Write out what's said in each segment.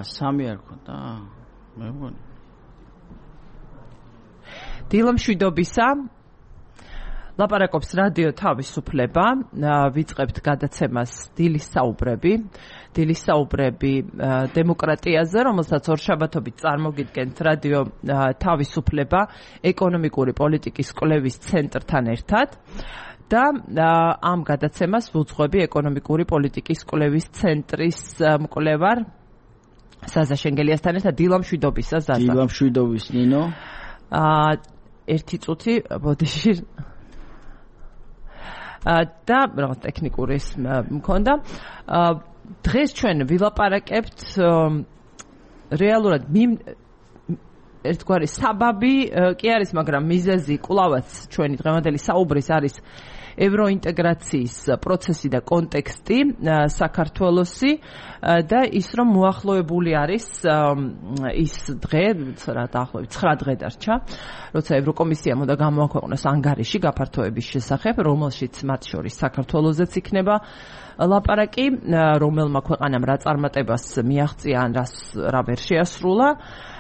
3 არ ხონდა? მე მგონი. დილამშვიდობისა ლაპარაკობს რადიო თავისუფლება, ვიწყებთ გადაცემას დილის საუბრები დემოკრატიაზე, რომელსაც ორშაბათობით წარმოგიდგენთ რადიო თავისუფლება ეკონომიკური პოლიტიკის კვლევის ცენტრთან ერთად და ამ გადაცემას ვუძღვები ეკონომიკური პოლიტიკის კვლევის ცენტრის მკვლევარ ზაზა შენგელიასთან ერთად. დილამშვიდობისა ზაზა. დილამშვიდობის ნინო. ერთი წუთი ბოდიში და რაღაც ტექნიკური მქონდა. დღეს ჩვენ ვილაპარაკებთ რეალურად ერთგვარი საბაბი კი არის, მაგრამ მიზეზი კვლავაც ჩვენი დღევანდელი საუბრის არის ევროინტეგრაციის პროცესი და კონტექსტი საქართველოსი და ის რომ მოახლოებული არის ის დღე, დაახლოებით 9 დღე დარჩა, როცა ევროკომისიამ უნდა გამოაქვეყნოს ანგარიში გაფართოების შესახებ, რომელშიც მათ შორის საქართველოსზეც იქნება ლაპარაკი, რომელმა ქვეყანამ რა წარმატებას მიაღწია ან რა ვერ შეასრულა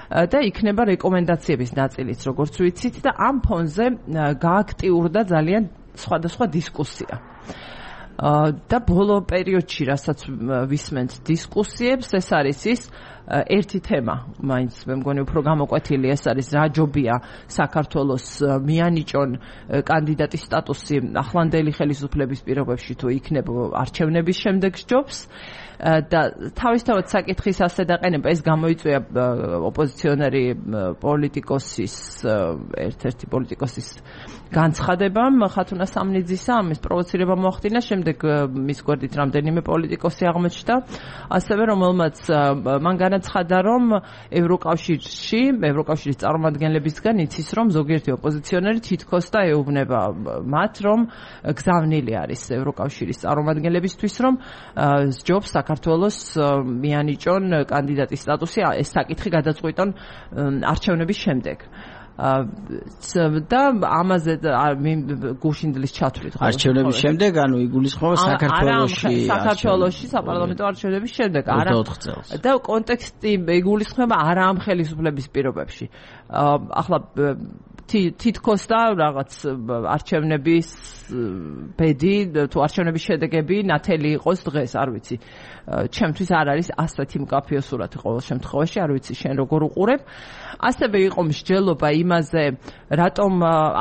და იქნება რეკომენდაციების ნაწილიც, როგორც ვიცით, და ამ ფონზე გააქტიურდა ძალიან სხვადასხვა დისკუსია. და ბოლო პერიოდში, რასაც ვისმენთ დისკუსიებს, ეს არის ის ერთი თემა, მაინც მე მგონი უფრო გამოკვეთილი, ეს არის რა ჯობია საქართველოს მიანიჭონ კანდიდატის სტატუსი ახლანდელი ხელისუფლების პირობებში თუ იქნება არჩევნების შემდეგ ჯობს. და თავისთავად საკითხის ასე დაყენება ეს გამოიწვია ოპოზიციონერი პოლიტიკოსის ერთ-ერთი პოლიტიკოსის განცხადებამ ხათუნა სამნიძისა, ამის პროვოცირება მოახდინა, შემდეგ მის გვერდით რამდენიმე პოლიტიკოსი აღმოჩნდა, ასევე რომელმაც მან განაცხადა, რომ ევროკავშირის წარმომადგენლებისგან იცის, რომ ზოგიერთი ოპოზიციონერი თითქოს და ეუბნება მათ, რომ გზავნილი არის ევროკავშირის წარმომადგენლებისთვის, რომ ჯობს საქართველოს მიანიჭონ კანდიდატის სტატუსი, ეს საკითხი გადაწყვიტონ არჩევნების შემდეგ. და ამაზე გუშინდლის ჩათვლით არჩევნების შემდეგ, ანუ იგულისხმება საქართველოში საპარლამენტო არჩევნების შემდეგ, არა 4 წელს. და კონტექსტი იგულისხმება არა ამ ხელისუფლების პირობებში. ახლა თითქოს და რაღაც არჩევნების ბედი თუ არჩევნების შედეგები ნათელი იყოს დღეს, არ ვიცი. ჩემთვის არ არის ასეთი მკაფიო სურათი ყოველ შემთხვევაში, არ ვიცი შენ როგორ უყურებ. ასევე იყო მსჯელობა იმაზე, რატომ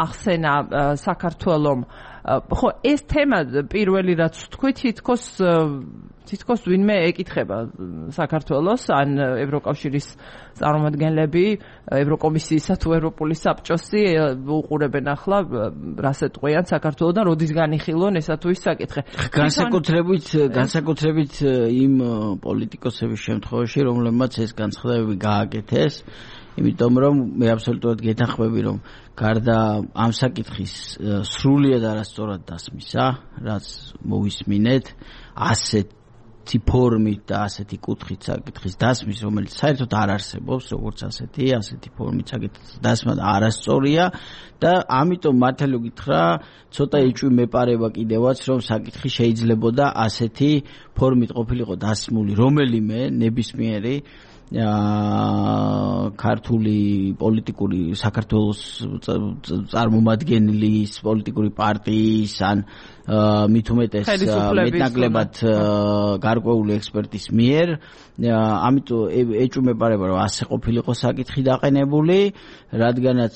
ახსენა საქართველომ. ხო, ეს თემა პირველი რაც თქვი, თითქოს ვინმე ეკითხება საქართველოს ან ევროკავშირის წარმომადგენლები, ევროკომისიისა თუ ევროპული საბჭოსი უყურებენ ახლა რას ეტყვიან საქართველოსთან, როდის განიხილონ ესა თუ ის საკითხი. განსაკუთრებით იმ პოლიტიკოსების შემთხვევაში, რომლებმაც ეს განცხადებები გააკეთეს, იმიტომ რომ მე აბსოლუტურად გეთანხმები, რომ გარდა ამ საკითხის სრულიად არასწორად დასმისა, რაც მოვისმინეთ, ასეთი ფორმით და ასეთი კუთხით საკითხის დასმის, რომელიც საერთოდ არ არსებობს, როგორც ასეთი ფორმით საკითხის დასმა არასწორია და ამიტომ მართალი გითხრა, ცოტა იჭვი მეპარება კიდევაც, რომ საკითხი შეიძლებოდა ასეთი ფორმით ყოფილიყო დასმული რომელიმე ნებისმიერი ქართული პოლიტიკური საქართველოს წარმომადგენლის პოლიტიკური პარტიის ან მით უმეტეს მეტნაკლებად გარკვეული ექსპერტის მიერ, ამიტომ ეჭვმეპარება, რომ ასე ყოფილიყო საკითხი დაყენებული, რადგანაც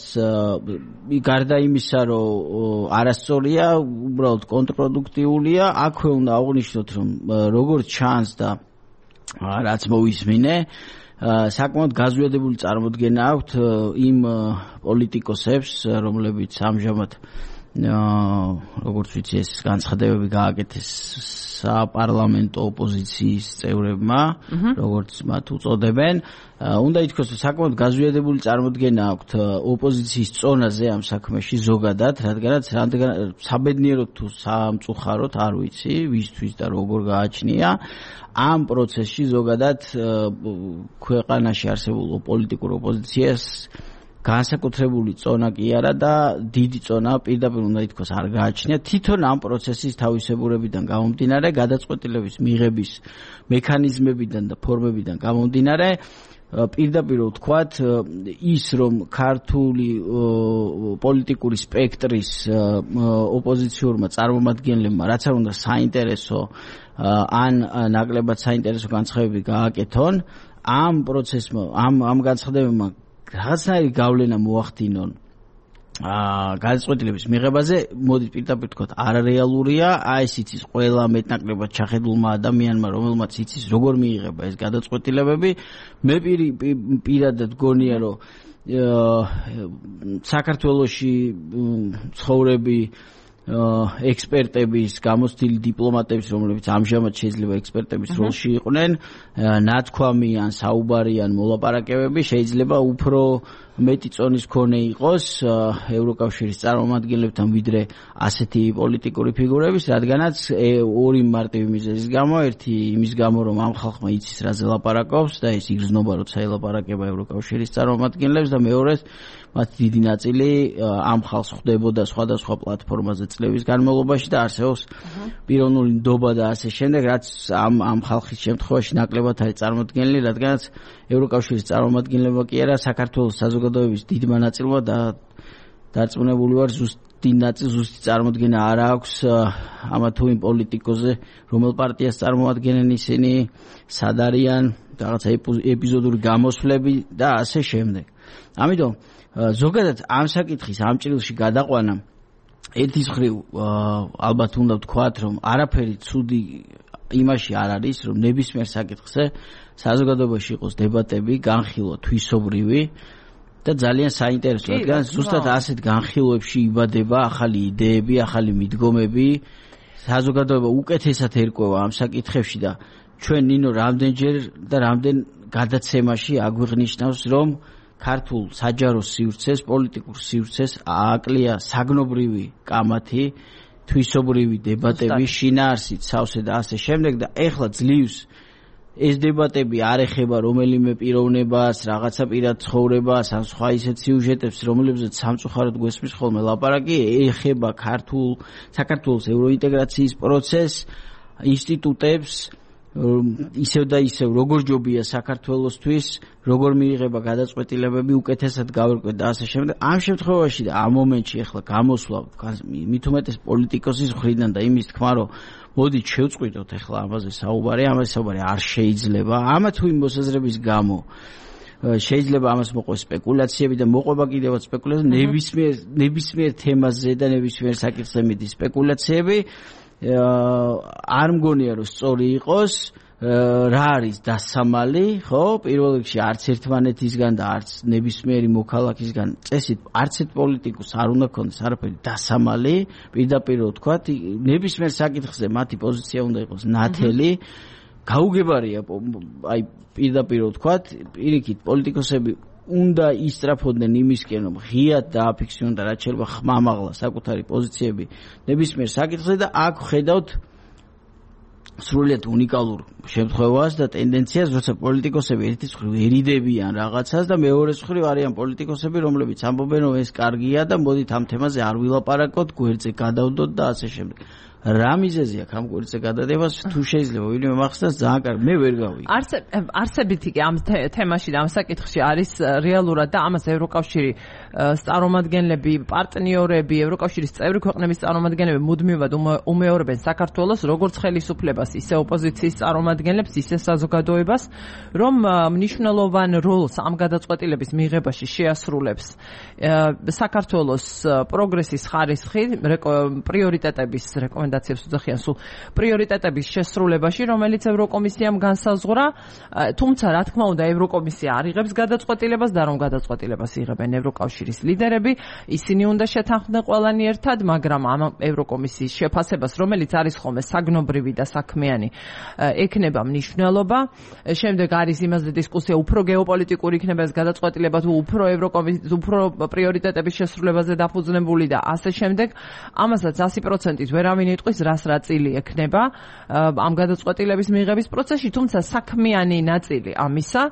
გარდა იმისა, რომ არასწორია, უბრალოდ კონტრპროდუქტიულია, აქვე უნდა აღვნიშნოთ, რომ როგორც ჩანს და რაც მოვისმინე, საკმაოდ გაზვიადებული წარმოდგენა აქვთ იმ პოლიტიკოსებს, რომლებიც ამჟამად როგორც ვიცი ეს განცხადებები გააკეთეს საპარლამენტო ოპოზიციის წევრებმა, როგორც მათ უწოდებენ. უნდა ითქვას, რომ საკმაოდ გაზვიადებული წარმოდგენა აქვთ ოპოზიციის წონაზე ამ საქმეში ზოგადად, რადგანაც საბედნიეროდ თუ სამწუხაროდ არ ვიცი, ვისთვის და როგორ გააჩნია ამ პროცესში ზოგადად ქვეყანაში არსებულ პოლიტიკურ ოპოზიციას განსაკუთრებული წონა კი არა და დიდი წონა პირდაპირ უნდა ითქვას არ გააჩნია თვითონ ამ პროცესის თავისებურებიდან გამომდინარე გადაწყვეტილების მიღების მექანიზმებიდან და ფორმებიდან გამომდინარე პირდაპირ ვთქვათ ის რომ ქართული პოლიტიკური სპექტრის ოპოზიციურმა წარმომადგენლებმა რაც არ უნდა საინტერესო ან ნაკლებად საინტერესო განცხადები გააკეთონ ამ პროცესმა ამ განცხადებებმა რაღაცნაირი გავლენა მოახდინონ გადაწყვეტილების მიღებაზე მოდით პირდაპირ ვთქვათ არარეალურია აი ეს იცის ყველა მეტნაკლებად ჩახედულმა ადამიანმა რომელმაც იცის როგორ მიიღება ეს გადაწყვეტილებები მე პირადად გონია რომ საქართველოში ცხოვრები ექსპერტების გამოცდილი დიპლომატების რომლებიც ამჟამად შეიძლება ექსპერტების როლში იყვნენ ნათქვამი ან საუბარი ან მოლაპარაკებები შეიძლება უფრო მეტი წონის მქონე იყოს ევროკავშირის წარმომადგენლებთან ვიდრე ასეთი პოლიტიკური ფიგურების რადგანაც ორი მარტივი მიზეზის გამო ერთი იმის გამო რომ ამ ხალხმა იცის რაზე ლაპარაკობს და ეს იგრძნობა როცა ელაპარაკება ევროკავშირის წარმომადგენლებს და მეორეს მათ დიდი ნაწილი ამ ხალხს ხვდებოდა სხვადასხვა პლატფორმაზე წლების განმავლობაში და არსებობს პიროვნული ნდობა და ასე შემდეგ რაც ამ ხალხის შემთხვევაში ნაკლებად არის წარმოდგენილი რადგანაც ევროკავშირის წარმომადგენლებმა კი არა საქართველოს საზოგადოების დიდმა ნაწილმა და დარწმუნებული ვარ ზუსტი წარმოდგენა არ აქვს ამა თუ იმ პოლიტიკოზე რომელ პარტიას წარმოადგენენ ისინი სად არიან რაღაცა ეპიზოდური გამოსვლები და ასე შემდეგ ამიტომ ზოგადად ამ საკითხის ამ ჭრილში გადაყვანა ერთის მხრივ ალბათ უნდა ვთქვათ რომ არაფერი ცუდი იმაში არ არის რომ ნებისმიერ საკითხზე საზოგადოებაში იყოს დებატები განხილვა თვისობრივი და ძალიან საინტერესო რადგან ზუსტად ასეთ განხილვებში იბადება ახალი იდეები ახალი მიდგომები საზოგადოება უკეთესად ერკვევა ამ საკითხებში და ჩვენ ნინო რამდენჯერ და რამდენ გადაცემაში აგვიღნიშნავს რომ ქართულ საჯარო სივრცეს, პოლიტიკურ სივრცეს ააკლია საგნობრივი კამათი, თვისობრივი დებატები, შინაარსით, სავსე და ასე შემდეგ და ეხლა ძლივს ეს დებატები არ ეხება რომელიმე პიროვნებას, რაღაცა პირად ცხოვრებას, ან სხვა ისეთ სიუჟეტებს, რომლებზეც სამწუხაროდ გვესმის ხოლმე ლაპარაკი, ეხება საქართველოს ევროინტეგრაციის პროცესს, ინსტიტუტებს ისევ და ისევ როგორ ჯობია საქართველოსთვის როგორ მიიღება გადაწყვეტილებები უკეთესად გავერკვეთ და ასე შემდეგ ამ შემთხვევაში და ამ მომენტში ახლა გამოსვლა მით უმეტეს პოლიტიკოსის მხრიდან და იმის თქმა რომ მოდით შევწყვიტოთ ახლა ამაზე საუბარი არ შეიძლება ამა თუ იმ მოსაზრების გამო შეიძლება ამას მოყვეს სპეკულაციები და მოყვება კიდევაც სპეკულაციები ნებისმიერ თემაზე და ნებისმიერ საკითხზე მიდის სპეკულაციები არ მგონია რომ სწორი იყოს რა არის დასამალი ხო პირველ რიგში არც ერთმანეთისგან და არც ნებისმიერი მოქალაქისგან წესით არც ერთ პოლიტიკოს არ უნდა ქონდეს არაფერი დასამალი პირდაპირ ვთქვათ ნებისმიერ საკითხზე მათი პოზიცია უნდა იყოს ნათელი გაუგებარია აი პირდაპირ ვთქვათ პირიქით პოლიტიკოსები უნდა ისწრაფოდნენ იმისკენ რომ ღიად დააფიქსირონ და რაც შეიძლება ხმამაღლა საკუთარი პოზიციები ნებისმიერ საკითხზე და აქ ხედავთ სრულიად უნიკალურ შემთხვევას და ტენდენციას როცა პოლიტიკოსები ერთის მხრივ ერიდებიან რაღაცას და მეორეს მხრივ არიან პოლიტიკოსები რომლებიც ამბობენ რომ ეს კარგია და მოდით ამ თემაზე არ ვილაპარაკოთ გვერდზე გადავდოთ და ასე შემდეგ რა მიზეზია ამ გვერდზე გადადებას თუ შეიძლება ვინმე მახსნას ძალიან კარგი მე ვერ გავიგე არსებითი კი ამ თემაში და ამ საკითხში არის რეალურად და ამას ევროკავშირი წარმომადგენლები პარტნიორები ევროკავშირის წევრი ქვეყნების წარმომადგენლები მუდმივად უმეორებენ საქართველოს როგორც ხელისუფლებას ისე ოპოზიციის წარმომადგენლებს ისე საზოგადოებას რომ მნიშვნელოვან როლს ამ გადაწყვეტილების მიღებაში შეასრულებს საქართველოს პროგრესის ხარისხი პრიორიტეტების რეკომენდაციებს უძახიან სულ პრიორიტეტების შესრულებაში, რომელიც ევროკომისიამ განსაზღვრა, თუმცა რა თქმა უნდა ევროკომისია არ იღებს გადაწყვეტილებას და რომ გადაწყვეტილებას იღებენ ევროკავშირის ლიდერები, ისინი უნდა შეთანხმდნენ ყველანი ერთად, მაგრამ ამ ევროკომისიის შეფასებას, რომელიც არის ხოლმე საგნობრივი და საქმიანი, ექნება მნიშვნელობა. შემდეგ არის იმაზე დისკუსია, უფრო გეოპოლიტიკური იქნება ეს გადაწყვეტილება თუ უფრო ევროკომისიის უფრო პრიორიტეტების შესრულებაზე დაფუძნებული და ასე შემდეგ. ამასაც 100%-ით ვერავინ იტყვის რას რა წილი ექნება ამ გადაწყვეტილების მიღების პროცესში, თუმცა საქმიანი ნაწილი ამისა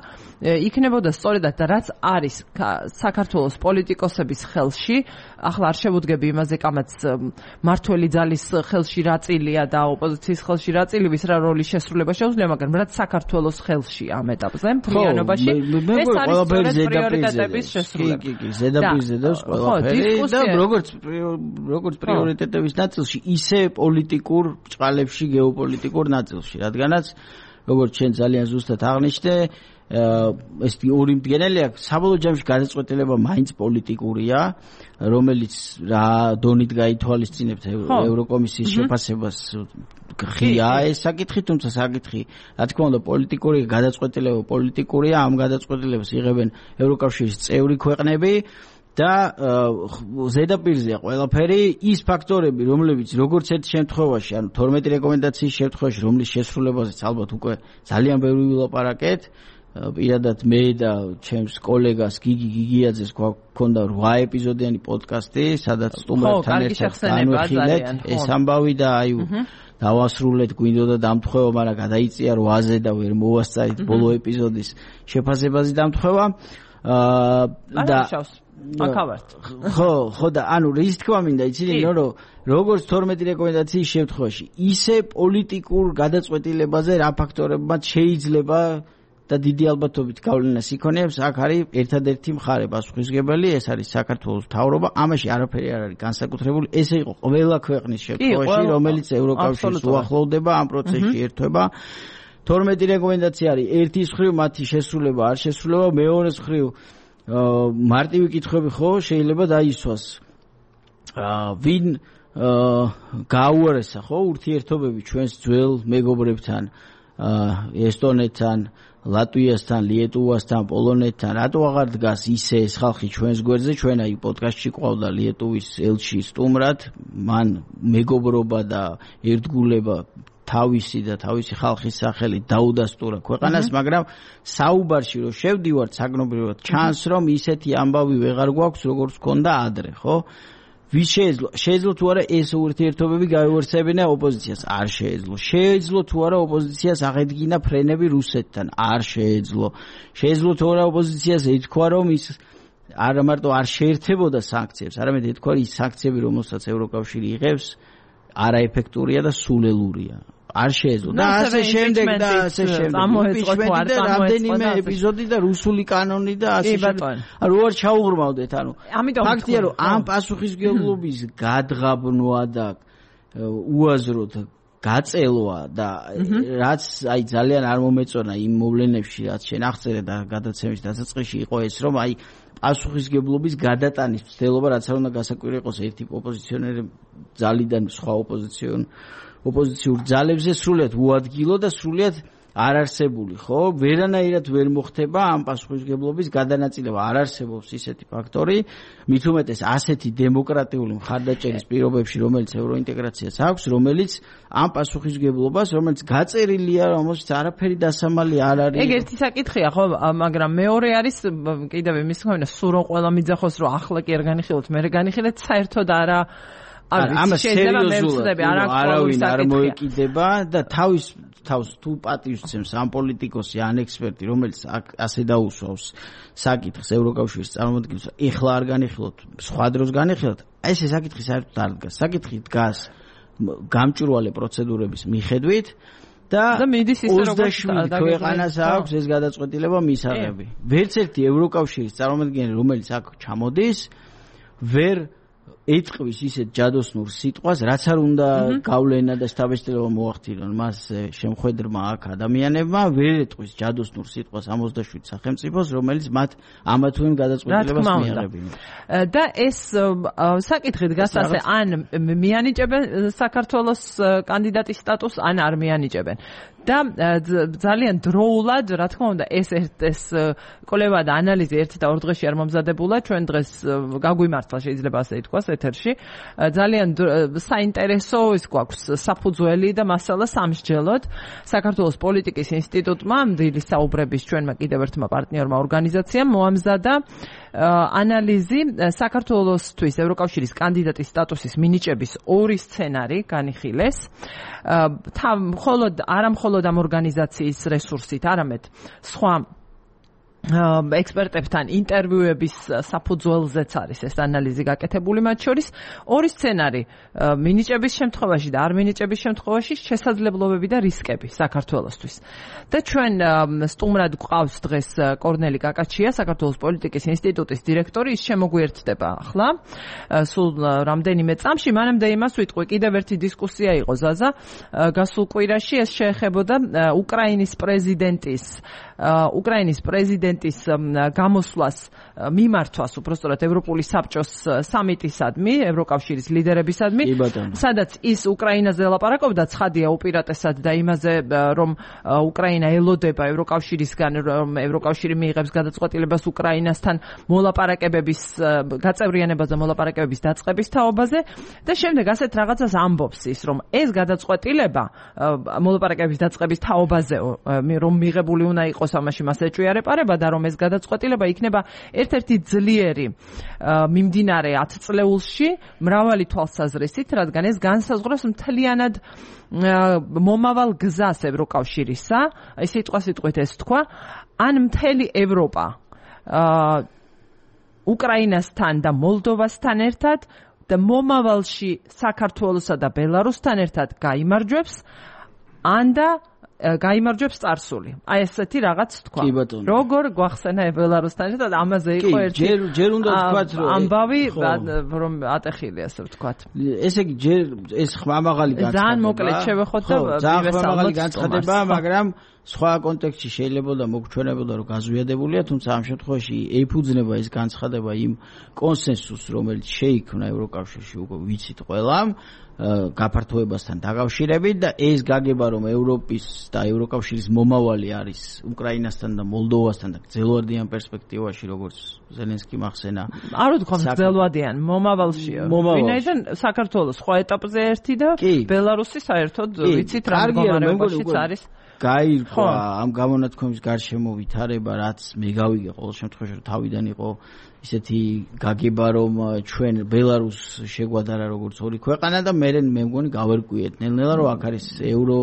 იქნებოდა სწორედად რაც არის საქართველოს პოლიტიკოსების ხელში. ახლა არ შევუდგები იმაზე, კამაც მართველი ძალის ხელში რა წილია და ოპოზიციის ხელში რა წილი, ვის რა როლის შესრულება შეუძლია, მაგრამ რაც საქართველოს ხელში ამ ეტაპზე მთლიანობაში ეს არის სწორედ პრიორიტეტების შესრულება. კი, ზედაპირზე დევს ყველაფერი და როგორც პრიორიტეტების ნაწილში, ისე პოლიტიკურ ჭყალებში, გეოპოლიტიკურ ნაწილში, რადგანაც როგორც ჩვენ ძალიან ზუსტად აღნიშნე, ეს ორი მდგენელი აქვს, საბოლოო ჯამში გადაწყვეტილება მაინც პოლიტიკურია, რომელიც რა დონით გაითვალისწინებთ ევროკომისიის შეფასებას ღია ეს საკითხი, თუმცა საკითხი, რა თქმა უნდა, პოლიტიკური გადაწყვეტილება პოლიტიკურია, ამ გადაწყვეტილებას იღებენ ევროკავშირის წევრი ქვეყნები და ზედაპირზეა ყველაფერი ის ფაქტორები, რომლებიც როგორც ერთ შემთხვევაში, ანუ 12 რეკომენდაციის შემთხვევაში, რომლის შესრულებაზეც ალბათ უკვე ძალიან ბევრი ვილაპარაკეთ, პირადად მე და ჩემს კოლეგას გიგი გიგიაძეს გვქონდა 8 ეპიზოდიანი პოდკასტი, სადაც სტუმრებთან ერთად განვიხილეთ ეს ამბავი და აი დავასრულეთ, გვინდოდა დამთხევა, მაგრამ გადაიწია 8-ზე და ვერ მოვასწარით ბოლო ეპიზოდის შეფასებაზე დამთხევა. და აკავართ. ხო და ანუ რის თქმა მინდა იცით, რომ როგორც 12 რეკომენდაციის შემთხვევაში, ისე პოლიტიკურ გადაწყვეტილებაზე რა ფაქტორებმაც შეიძლება და დიდი ალბათობით გავლენას იქონიებს, აქ არის ერთადერთი მხარე პასუხისმგებელი, ეს არის საქართველოს მთავრობა, ამაში არაფერი არ არის განსაკუთრებული, ესე იყო ყველა ქვეყნის შემთხვევაში, რომელიც ევროკავშირს უახლოვდება ამ პროცესში ერთვება. 12 რეკომენდაცია არის ერთის მხრივ მათი შესრულება არ შესრულება, მეორეს მხრივ მარტივი კითხვები ხო შეიძლება დაისვას. ვინ გაუარესა ხო ურთიერთობები ჩვენს ძველ მეგობრებთან, ესტონეთთან, ლატვიასთან, ლიეტუვასთან, პოლონეთთან, რატო აღარ დგას ისე ეს ხალხი ჩვენს გვერდზე? ჩვენ აი პოდკასტში ყავდა ლიეტუვის ელჩი სტუმრად, მან მეგობრობა და ერთგულება თავისი და თავისი ხალხის სახელით დაუდასტურა ქვეყანას, მაგრამ საუბარში რომ შევდივართ საგნობრივად ჩანს, რომ ისეთი ამბავი ვეღარ გვაქვს, როგორც ჰქონდა ადრე, ხო? ვის შეეძლო თუ არა ეს ურთიერთობები გაივარსებინა ოპოზიციას? არ შეეძლო. შეეძლო თუ არა ოპოზიციას აღედგინა ფრენები რუსეთთან? არ შეეძლო. შეეძლო თუ არა ოპოზიციას ეთქვა, რომ ის არა მარტო არ შეერთებოდა სანქციებს, არამედ ეთქვა, ის სანქციები, რომელსაც ევროკავშირი იღებს, არაეფექტურია და სულელურია. არ შეეძლო. და ასე შემდეგ და ასე შემდეგ. რამდენიმე ეპიზოდი და რუსული კანონი და ასე შემდეგ. რო არ ჩაუღრმავდეთ, ანუ ფაქტია, რომ ამ პასუხისმგებლობის გადღაბნვა და უაზროდ გაწელვა და რაც აი ძალიან არ მომეწონა იმ მოვლენებში, რაც შენ აღწერე და გადაცემის დასაწყისში იყო ეს, რომ აი პასუხისმგებლობის გადატანის მცდელობა, რაც არ უნდა გასაკვირი იყოს ერთი ოპოზიციონერი ძალიდან სხვა ოპოზიციურ ძალებზე სრულიად უადგილო და სრულიად არ არსებული, ხო? ვერანაირად ვერ მოხდება ამ პასუხისმგებლობის გადანაწილება, არ არსებობს ისეთი ფაქტორი, მით უმეტეს ასეთი დემოკრატიული მხარდაჭერის პირობებში, რომელიც ევროინტეგრაციას აქვს, რომელიც ამ პასუხისმგებლობას, რომელიც გაწერილია, რომელშიც არაფერი დასამალი არ არის. ეგ ერთი საკითხია, ხო, მაგრამ მეორე არის კიდევ იმის ხომ სულ რომ ყველა მიძახოს, რომ ახლა კი არ განიხილოთ, მე განიხილეთ საერთოდ არა ამას სერიოზულად არავინ არ მოეკიდება და თავის თუ პატივისცემს ამ პოლიტიკოსი ან ექსპერტი, რომელიც ასე დაუსვავს საკითხს ევროკავშირის წარმოადგენს, ეხლა არ განიხილოთ, სხვა დროს განიხილოთ, ეს საკითხი საერთოდ არ დგას. საკითხი დგას გამჭვირვალე პროცედურების მიხედვით და მიდის ისე როგორც 27 ქვეყანას აქვს ეს გადაწყვეტილება მისაღები. ვერც ერთი ევროკავშირის წარმოადგენელი, რომელიც აქ ჩამოდის, ვერ ეთყვის ისეთ ჯადოსნურ სიტყვას, რაც არ უნდა გავლენა და სტაბილიზება მოახდინონ მას შემხედრმა აქ ადამიანებმა, ვერ ეთყვის ჯადოსნურ სიტყვას 67 სახელმწიფოს, რომელიც მათ ამა თუ იმ გადაწყვეტილებას მიაღებინა. და ეს საკითხი დგას ასე, ან მიანიჭებენ საქართველოს კანდიდატის სტატუსს, ან არ მიანიჭებენ. და ძალიან დროულად, რა თქმა უნდა, ეს კვლევა და ანალიზი ერთ და ორ დღეში არ მომზადებულა, ჩვენ დღეს გაგვიმართლა შეიძლება ასე ითქვას, ეთერში. ძალიან საინტერესო ის გვაქვს საფუძველი და მასალა სამსჯელოდ. საქართველოს პოლიტიკის ინსტიტუტმა დილის საუბრების ჩვენმა კიდევ ერთმა პარტნიორმა ორგანიზაციამ მოამზადა ანალიზი საქართველოსთვის ევროკავშირის კანდიდატის სტატუსის მინიჭების ორი სცენარი განიხილეს. არა მხოლოდ ამ ორგანიზაციის რესურსით, არამედ სხვა ექსპერტებთან ინტერვიუების საფუძველზეც არის ეს ანალიზი გაკეთებული მათ შორის. ორი სცენარი მინიჭების შემთხვევაში და არ მინიჭების შემთხვევაში შესაძლებლობები და რისკები საქართველოსთვის. და ჩვენ სტუმრად გვყავს დღეს კორნელი კაკაჩია, საქართველოს პოლიტიკის ინსტიტუტის დირექტორი, ის შემოგვიერთდება ახლა. სულ რამდენიმე წამში, მანამდე იმას ვიტყვი, კიდევ ერთი დისკუსია იყო ზაზა გასულ კვირაში, ეს შეეხებოდა უკრაინის პრეზიდენტის გამოსვლას მიმართვას, უბრალოდ ევროპული საბჭოს სამიტისადმი, ევროკავშირის ლიდერებისადმი, სადაც ის უკრაინაზე ლაპარაკობდა ცხადია უპირატესად და იმაზე, რომ უკრაინა ელოდება ევროკავშირისგან, რომ ევროკავშირი მიიღებს გადაწყვეტილებას უკრაინასთან მოლაპარაკებების გაწევრიანებას და მოლაპარაკებების დაწყების თაობაზე და შემდეგ ასეთ რაღაცას ამბობს ის, რომ ეს გადაწყვეტილება მოლაპარაკებების დაწყების თაობაზე, რომ მიღებული უნდა იყოს ამაში მას ეჭვიარეპარება და რომ ეს გადაწყვეტილება იქნება ერთ-ერთი ძლიერი მიმდინარე 10 წლეულში მრავალი თვალსაზრისით, რადგან ეს განსაზღვრავს მთლიანად მომავალ გზას ევროკავშირისა, ეს სიტყვასიტყვით ეს თქვა, ან მთელი ევროპა უკრაინასთან და მოლდოვასთან ერთად და მომავალში საქართველოსა და ბელარუსთან ერთად გაიმარჯვებს, ან და გაიმარჯვებს წარსული. აი ესეთი რაღაც თქვა. როგორ გვახსენა ბელარუსთან ერთად ამაზე იყო ერთი ჯერ უნდა ვთქვათ რომ ამბავი რომ ატეხილი ასე ვთქვათ. ესე იგი ჯერ ეს ხმამაღალი განცხადება. ძალიან მოკლედ შევეხოთ და ხმამაღალი განცხადება, მაგრამ სხვა კონტექსტში შეიძლება და მოგჩვენებოდა რომ გაზვიადებულია, თუმცა ამ შემთხვევაში ეფუძნება ეს განცხადება იმ კონსენსუსს, რომელიც შეიქმნა ევროკავშირში, უკვე ვიცით ყველამ, გაფართოებასთან დაკავშირებით და ეს გაგება რომ ევროპის და ევროკავშირის მომავალი არის უკრაინასთან და მოლდოვასთან და გრძელვადიან პერსპექტივაში, როგორც ზელენსკი მახსენა. არ ვთქვა გრძელვადიან, მომავალშია. ვინაიდან საქართველოს სხვა ეტაპზე ერთი და ბელარუსი საერთოდ ვიცით რა მდგომარეობაშიც არის. გაირკვა ამ გამონათქვამის გარშემო ვითარება, რაც მე გავიგე ყოველ შემთხვევაში რომ თავიდან იყო ისეთი გაგება რომ ჩვენ ბელარუსს შეგვადარა როგორც ორი ქვეყანა და მე მგონი გავერკვიეთ ნელ-ნელა რომ აქ არის ევრო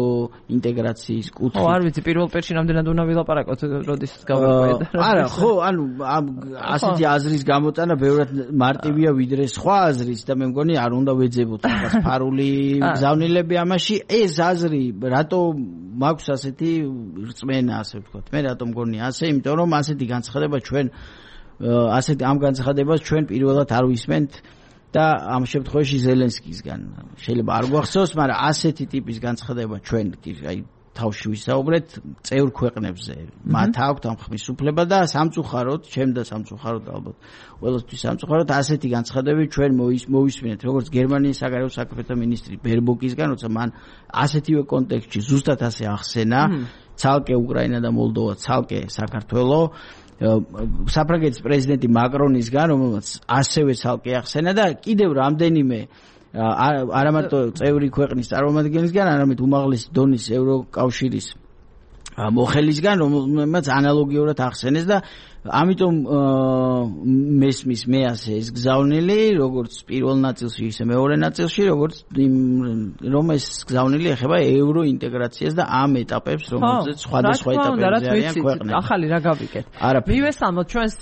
ინტეგრაციის კუთხე. არ ვიცი პირველ პერიოდში რამდენად უნდა ვილაპარაკოთ როდის გავერკვიეთ. არა, ხო, ანუ ასეთი აზრის გამოტანა ბევრად მარტივია ვიდრე სხვა აზრის და მე მგონი არ უნდა ვეძებოთ რაღაც ფარული გზავნილები ამაში. ეს აზრი რატო მაქვს ასეთი რწმენა, ასე ვთქვათ. მე რატომ მგონი ასე, იმიტომ რომ ასეთი განცხადება ჩვენ ამ განცხადებას ჩვენ პირველად არ ვისმენთ და ამ შემთხვევაში ზელენსკისგან. შეიძლება არ გვახსოვს, მაგრამ ასეთი ტიპის განცხადება ჩვენ აი თავში ვისაუბრეთ წევრ ქვეყნებზე. მათ აქვთ ამ ხმის უფლება და სამწუხაროდ, ჩემ და სამწუხაროდ ალბათ ყველასთვის სამწუხაროდ ასეთი განცხადებები ჩვენ მოვისმინეთ, როგორც გერმანიის საგარეო საქმეთა მინისტრი ბერბოკისგან, როცა მან ასეთივე კონტექსტში ზუსტად ასე ახსენა, ცალკე უკრაინა და მოლდოვა, ცალკე საქართველო, საფრანგეთის პრეზიდენტი მაკრონისგან, რომელმაც ასევე ცალკე ახსენა და კიდევ რამდენიმე არა მარტო წევრი ქვეყნის წარმომადგენლისგან, არამედ უმაღლესი დონის ევროკავშირის მოხელისგან, რომელმაც ანალოგიურად ახსენეს და ამიტომ მესმის მე ასე ეს გზავნილი, როგორც პირველ ნაწილში, ისე მეორე ნაწილში, როგორც რომ ეს გზავნილი ეხება ევროინტეგრაციას და ამ ეტაპებს, რომელზეც სხვადასხვა ეტაპებზე არიან ქვეყნები. ახალი რა გავიგეთ. მივესალმოთ ჩვენს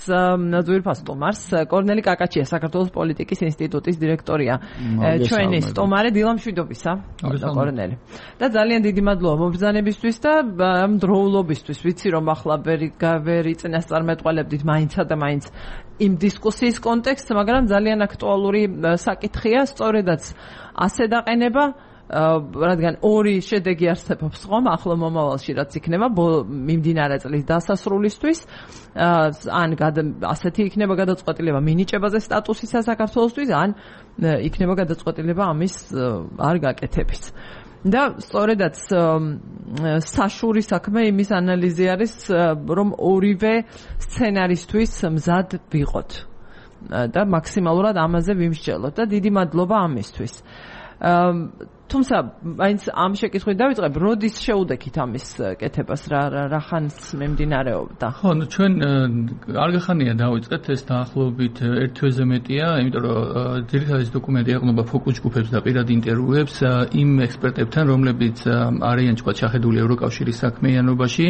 ძვირფას სტუმარს, კორნელი კაკაჩია, საქართველოს პოლიტიკის ინსტიტუტის დირექტორია. ჩვენი სტუმარი დილამშვიდობისა, კორნელი. და ძალიან დიდი მადლობა მობრძანებისთვის და ამ დროულობისთვის. ვიცი რომ ახლა ვერი წინასწარმეტყველებდით მაინცა და მაინც იმ დისკუსიის კონტექსტს, მაგრამ ძალიან აქტუალური საკითხია, სწორედაც ასე დაყენება, რადგან ორი შედეგი არსებობს ხომ ახლო მომავალში, რაც იქნება მიმდინარე წლის დასასრულისთვის, ან ასეთი იქნება გადაწყვეტილება მინიჭებაზე სტატუსისა საქართველოსთვის, ან იქნება გადაწყვეტილება ამის არ გაკეთების. და სწორედაც საშური საქმე იმის ანალიზი არის, რომ ორივე სცენარისთვის მზად ვიყოთ. და მაქსიმალურად ამაზე ვიმსჯელოთ და დიდი მადლობა ამისთვის. თუმცა მაინც ამ შეკითხვით დავიწყებ, როდის შეუდექით ამის კეთებას, რა ხანს მიმდინარეობდა? ხო, ჩვენ არგახანია დავიწყეთ, ეს დაახლოებით 1 თვეზე მეტია, იმიტომ რომ ძირითადი დოკუმენტი ეყრდნობა ფოკუს ჯგუფებს და პირად ინტერვიუებს იმ ექსპერტებთან, რომლებიც არიან თქვა შეხედული ევროკავშირის საქმიანობაში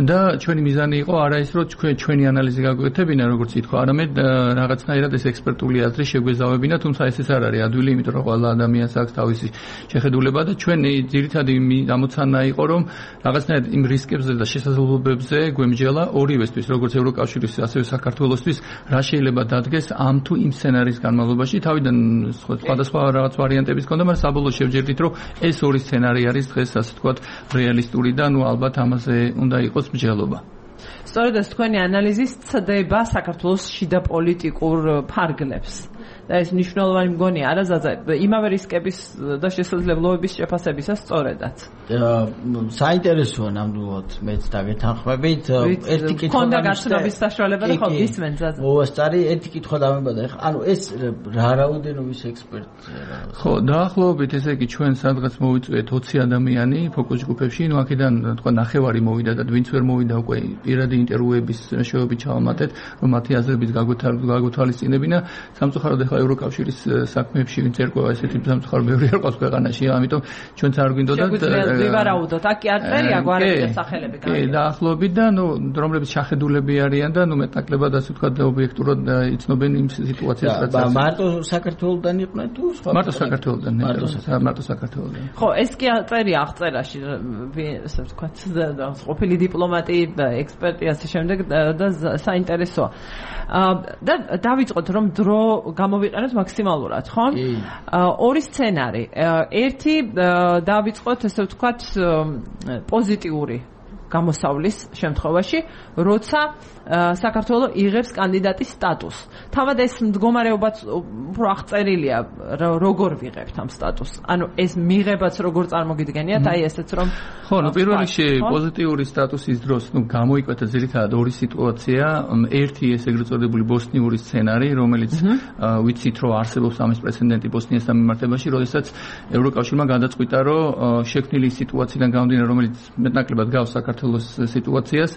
და ჩვენი მიზანი იყო არა ის რომ ჩვენი ანალიზი გაგვეკეთებინა, როგორც ითქვა, არამედ რაღაცნაირად ეს ექსპერტული აზრი შეგვეზავებინა, თუმცა ეს არ არის ადვილი, იმიტომ რომ ყველა ადამიანს აქვს თავისი შეხედულება და ჩვენი ძირითადი ამოცანა იყო რომ რაღაცნაირად იმ რისკებზე და შესაძლებლობებზე გვემჯელა ორივესთვის, როგორც ევროკავშირის, ასევე საქართველოსთვის, რა შეიძლება დადგეს ამ თუ იმ სცენარის განმავლობაში. თავიდან სხვადასხვა რაღაც ვარიანტების ჰქონდა, მაგრამ საბოლოოდ შევჯერდით, რომ ეს ორი სცენარი არის დღეს, ასე ვთქვათ, რეალისტური და ალბათ ამაზე უნდა იყოს მსჯელობა. სწორედ ეს თქვენი ანალიზი ცდება საქართველოს შიდა პოლიტიკურ ფარგლებს. და ეს მნიშვნელოვანი მგონია არა ზაზა იმავე რისკების და შესაძლებლობების შეფასებისას სწორედაც. საინტერესოა ნამდვილად მეც დაგეთანხმებით. ერთი კითხვა ქონდა გაცნობის საშუალება და ხო გისმენთ ზაზა. მოასწარი ერთი კითხვა დამებადა. ანუ ეს რა რაოდენობის ექსპერტია? ხო, დაახლოებით ესე იგი ჩვენ სადღაც მოვიწვიეთ 20 ადამიანი ფოკუს ჯგუფებში, ნუ აქედან თქვა ნახევარი მოვიდა და ვინც ვერ მოვიდა უკვე პირადი ინტერვიუების მეშვეობით ჩავამატეთ, რომ მათი აზრების გაგვეთვალისწინებინა. სამწუხაროდ ევროკავშირის საქმეებში ვინც ერკვევა ესეთი სამწუხარო ბევრი არ ყავს ქვეყანაში, ამიტომ ჩვენც არ გვინდოდა ვივარაუდოთ, აქ კი არ წერია გვარების სახელები კი, დაახლოებით და ნუ რომლებიც შეხედულები არიან და ნუ მეტნაკლებად ასე ვთქვათ ობიექტურად იცნობენ იმ სიტუაციას, რაც არის. მარტო საქართველოსდან იყვნენ თუ სხვა? მარტო საქართველოსდან, მარტო საქართველოსდან. ხო, ეს კი წერია აღწერაში, ასე ვთქვათ, ყოფილი დიპლომატი, ექსპერტი ასე შემდეგ და საინტერესოა. და დავიწყოთ რომ დრო გამოვიყენოთ მაქსიმალურად, ხო? ორი სცენარი. ერთი დავიწყოთ ესე ვთქვათ პოზიტიური გამოსავლის შემთხვევაში, როცა საქართველოს იღებს კანდიდატის სტატუსს. თავად ეს მდგომარეობაც უფრო აღწერილია, როგორ ვიღებთ ამ სტატუსს. ანუ ეს მიღებაც როგორ წარმოგიდგენიათ, აი ესეც რომ ხო, ნუ პირველ რიგში პოზიტიური სტატუსის დროს, ნუ გამოიკვეთა ძირითადად ორი სიტუაცია. ერთი ეს ეგრეთ წოდებული ბოსნიური სცენარი, რომელიც ვიცით რომ არსებობს ამის პრეცედენტი ბოსნიასთან მიმართებაში, როდესაც ევროკავშირმა გადაწყვიტა, რომ შექმნილი სიტუაციიდან გამომდინარე, რომელიც მეტნაკლებად გავს საქართველოს სიტუაციას,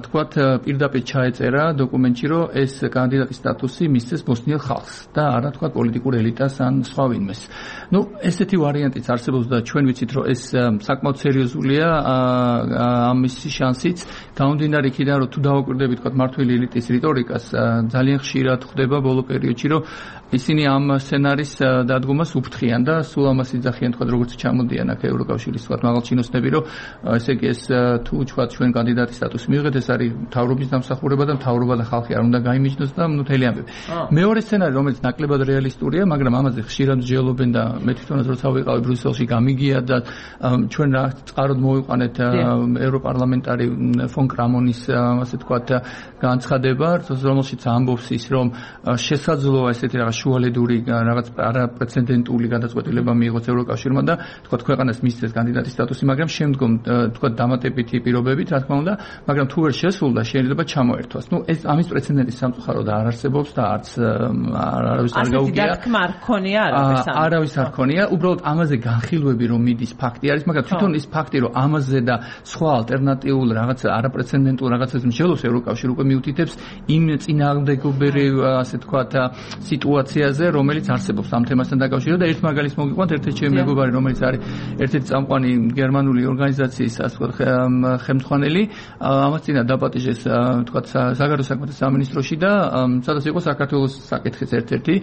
თქვათ პირდაპირ ჩაეწერა დოკუმენტში, რომ ეს კანდიდატის სტატუსი მისცეს ბოსნიელ ხალხს და არა თქვათ პოლიტიკურ ელიტას ან სხვა ვინმეს. ნუ ესეთი ვარიანტიც არსებობს და ჩვენ ვიცით, რომ ეს საკმაოდ სერიოზულია ამის შანსიც. გამომდინარე იქიდან, რომ თუ დავაკვირდებით თქვათ მმართველი ელიტის რიტორიკას, ძალიან ხშირად ხდება ბოლო პერიოდში, რომ ისინი ამ სცენარის დადგომას უფრთხიან და სულ ამას იძახიან თქვათ როგორც ჩამოდიან აქ ევროკავშირის თქვათ მაღალჩინოსნები, რომ ესე იგი ეს თუ თქვათ ჩვენ კანდიდატის სტატუსი მივიღეთ, ეს არის მთავრობის დამსახურება და მთავრობა და ხალხი არ უნდა გაიმიჯნოს და ნუ მთელი ამბები. მეორე სცენარი, რომელიც ნაკლებად რეალისტურია, მაგრამ ამაზე ხშირად მსჯელობენ და მე თვითონაც როცა ვიყავი ბრიუსელში გამიგია და ჩვენ რა წყაროდ მოვიყვანეთ ევროპარლამენტარი ფონ კრამონის ასე თქვათ განცხადება, რომელშიც ამბობს ის, რომ შესაძლოა ესეთი რაღაც შუალედური რაღაც არაპრეცედენტული გადაწყვეტილება მიიღოს ევროკავშირმა და თქვათ ქვეყანას მისცეს კანდიდატის სტატუსი, მაგრამ შემდგომ თქვათ დამატებითი პირობებით, რა თქმა უნდა, მაგრამ თუ ვერ შესრულდა, შეიძლება ჩამოერთვას. ნუ ეს ამის პრეცედენტი სამწუხაროდ არ არსებობს და არც არავის არ გაუგია. ასეთი დათქმა არ ქონია არავის არ ქონია, უბრალოდ ამაზე განხილვები რომ მიდის ფაქტი არის, მაგრამ თვითონ ის ფაქტი რომ ამაზე და სხვა ალტერნატიულ რაღაც არაპრეცედენტულ რაღაცას მსჯელობს ევროკავშირი უკვე მიუთითებს იმ წინააღმდეგობრივ ასე თქვათ სიტუაციაზე, რომელიც არსებობს ამ თემასთან დაკავშირებით და ერთ მაგალითს მოგიყვანთ, ერთ-ერთი ჩემი მეგობარი, რომელიც არის ერთ-ერთი წამყვანი გერმანული ორგანიზაციის ასე თქვათ ხელმძღვანელი, ამას წინა დაპატიჟეს თქვათ საგარეო საქმეთა სამინისტროში და სადაც იყო საქართველოს საკითხის ერთ-ერთი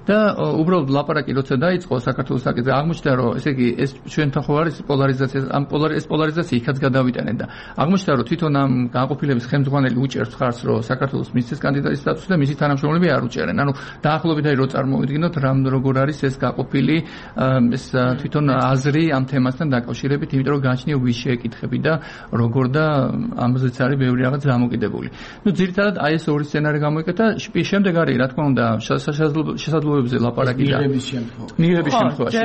და უბრალოდ ლაპარაკი როცა დაიწყო საქართველოს საკითხზე, აღმოჩნდა რომ ესე იგი ეს ჩვენთან ხო არის პოლარიზაცია, ამ პოლარიზაცია იქაც გადავიტანენ და აღმოჩნდა რომ თვითონ ამ განყოფილების ხელმძღვანელი უჭერს ხარს, რომ საქართველოს მისცეს კანდიდატის სტატუსი და მისი თანამშრომლები არ უჭერენ. ანუ დაახლოებით აი რო წარმოვიდგინოთ როგორ არის ეს გაყოფილი ეს თვითონ აზრი ამ თემასთან დაკავშირებით, იმიტომ რომ გააჩნია ვის შეეკითხები და როგორ და ამაზეც არის ბევრი რაღაც დამოკიდებული. ნუ ძირითადად აი ეს ორი სცენარი გამოიკეთა, შემდეგ არის რა თქმა უნდა შესაძლებლობებზე ლაპარაკი და მიღების შემთხვევაში.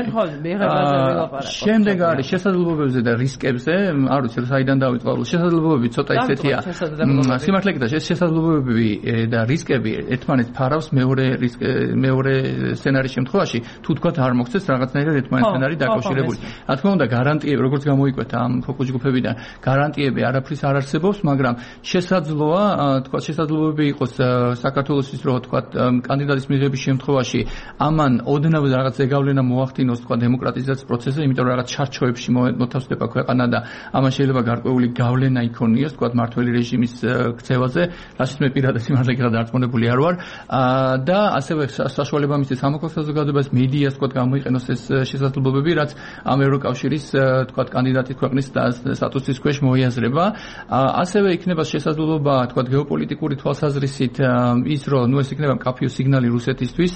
შემდეგ არის შესაძლებლობებზე და რისკებზე, არ ვიცი საიდან დავიწყო, შესაძლებლობები ცოტა ისეთია. სიმართლე გითხრათ, ეს შესაძლებლობები და რისკები ერთმანეთს ფარავს მეორე სცენარის შემთხვევაში, თუ თქვათ არ მოხდეს რაღაცნაირად ერთმანეთთან არის დაკავშირებული. რა თქმა უნდა, გარანტიები როგორც გამოიკვეთა ამ ფოკუს ჯგუფებიდან, გარანტიები არაფრის არ არსებობს, მაგრამ შესაძლოა, თქვათ შესაძლებლობები იყოს საქართველოსთვის, რომ თქვათ კანდიდატის მიღების შემთხვევაში ამან ოდნავ რაღაც ზეგავლენა მოახდინოს თქვათ დემოკრატიზაციის პროცესზე, იმიტომ რომ რაღაც ჩარჩოებში მოთავსდება ქვეყანა და ამან შეიძლება გარკვეული გავლენა იქონიოს თქვათ მართველი რეჟიმის ქცევაზე, რასაც მე პირადად სიმართლე გითხრათ დარწმუნებული არ ვარ და ასევე საშუალება მისცეს სამოქალაქო საზოგადოებას, მედიას თქვათ გამოიყენოს ეს შესაძლებლობები, რაც ამ ევროკავშირის თქვათ კანდიდატის ქვეყნის სტატუსის ქვეშ მოიაზრება. ასევე იქნება შესაძლებლობა თქვათ გეოპოლიტიკური თვალსაზრისით ის რომ ნუ ეს იქნება მკაფიო სიგნალი რუსეთისთვის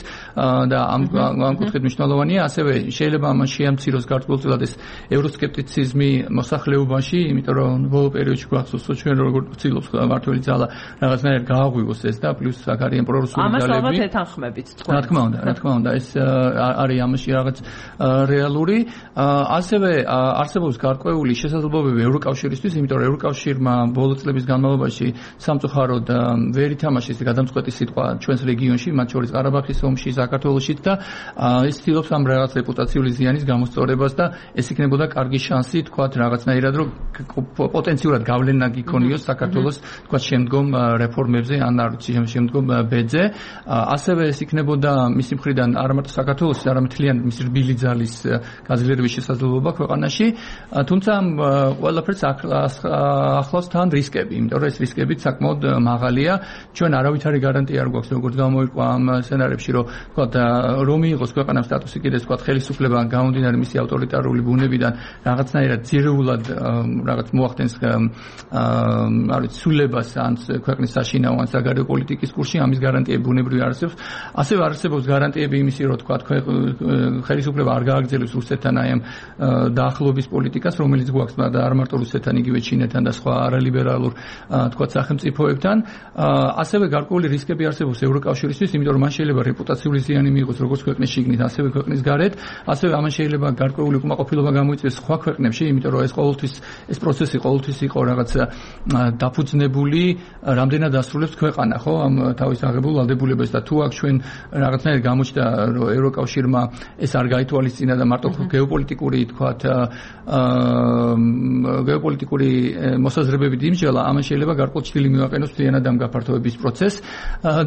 და ამ კუთხით მნიშვნელოვანია. ასევე შეიძლება ამან შეამციროს გარკვეულწილად ეს ევროსკეპტიციზმი მოსახლეობაში, იმიტომ რომ ბოლო პერიოდში გვახსოვს ჩვენ როგორ ვცდილობს მართველი ძალა რაღაცნაირად გააღვივოს ეს და პლუს აქ არიან პრორუსული ძალები. ამას ალბათ ეთანხმებით თქვენ. რა თქმა უნდა, ეს არის ამაში რაღაც რეალური. ასევე არსებობს გარკვეული შესაძლებლობები ევროკავშირისთვის, იმიტომ რომ ევროკავშირმა ბოლო წლების განმავლობაში სამწუხაროდ ვერ ითამაშეს გადამწყვეტი სიტყვა ჩვენს რეგიონში, მათ შორის ყარაბაღის ომში, საქართველოშიც და ის ცდილობს ამ რაღაც რეპუტაციული ზიანის გამოსწორებას და ეს იქნებოდა კარგი შანსი თქვათ რაღაცნაირად რომ პოტენციურად გავლენა გიქონიოს საქართველოს თქვათ შემდგომ რეფორმებზე ან არ ვიცი შემდგომ ბედზე. ასევე ეს იქნებოდა მისი მხრიდან არა მარტო საქართველოს, არამედ მთლიან მის რბილი ძალის გაძლიერების შესაძლებლობა ქვეყანაში. თუმცა ყველაფერს ახლავს თან რისკები, იმიტომ რომ ეს რისკები საკმაოდ მაღალია. ჩვენ არავითარი გარანტია არ გვაქვს, როგორც გამოიყვა ამ სცენარებში, რომ თქვათ რომ მიიღოს ქვეყანამ სტატუსი კიდეც თქვათ ხელისუფლება გამომდინარე მისი ავტორიტარული ბუნებიდან რაღაცნაირად ძირეულად რაღაც მოახდენს არ ვიცი სულებას ან ქვეყნის საშინაო ან საგარეო პოლიტიკის კურსში, ამის გარანტიები ბუნებრივი არ არსებობს. ასევე არ არსებობს გარანტიები იმისი, რომ თქვათ ხელისუფლება არ გააგრძელებს რუსეთთან აი ამ დაახლოების პოლიტიკას, რომელიც გვაქვს და არ მარტო რუსეთთან, იგივე ჩინეთთან და სხვა არალიბერალურ თქვათ სახელმწიფოებთან. ასევე გარკვეული რისკები არსებობს ევროკავშირისთვის, იმიტომ რომ მან შეიძლება რეპუტაციული ზიანი მიიღოს როგორც ქვეყნის შიგნით, ასევე ქვეყნის გარეთ. ასევე ამან შეიძლება გარკვეული უკმაყოფილება გამოიწვიოს სხვა ქვეყნებში, იმიტომ რომ ეს პროცესი ყოველთვის იყო რაღაც დაფუძნებული, რამდენად ასრულებს ქვეყანა, ხო, ამ თავის აღებულ ვალდებულებას და თუ აქ ჩვენ რაღაცნაირად გამოჩნდა, რომ ევროკავშირმა ეს არ გაითვალისწინა და მარტო გეოპოლიტიკური თქვათ გეოპოლიტიკური მოსაზრებებით იმსჯელა, ამან შეიძლება გარკვეული ჭრილი მივაყენოს მთლიანად ამ გაფართოების პროცესს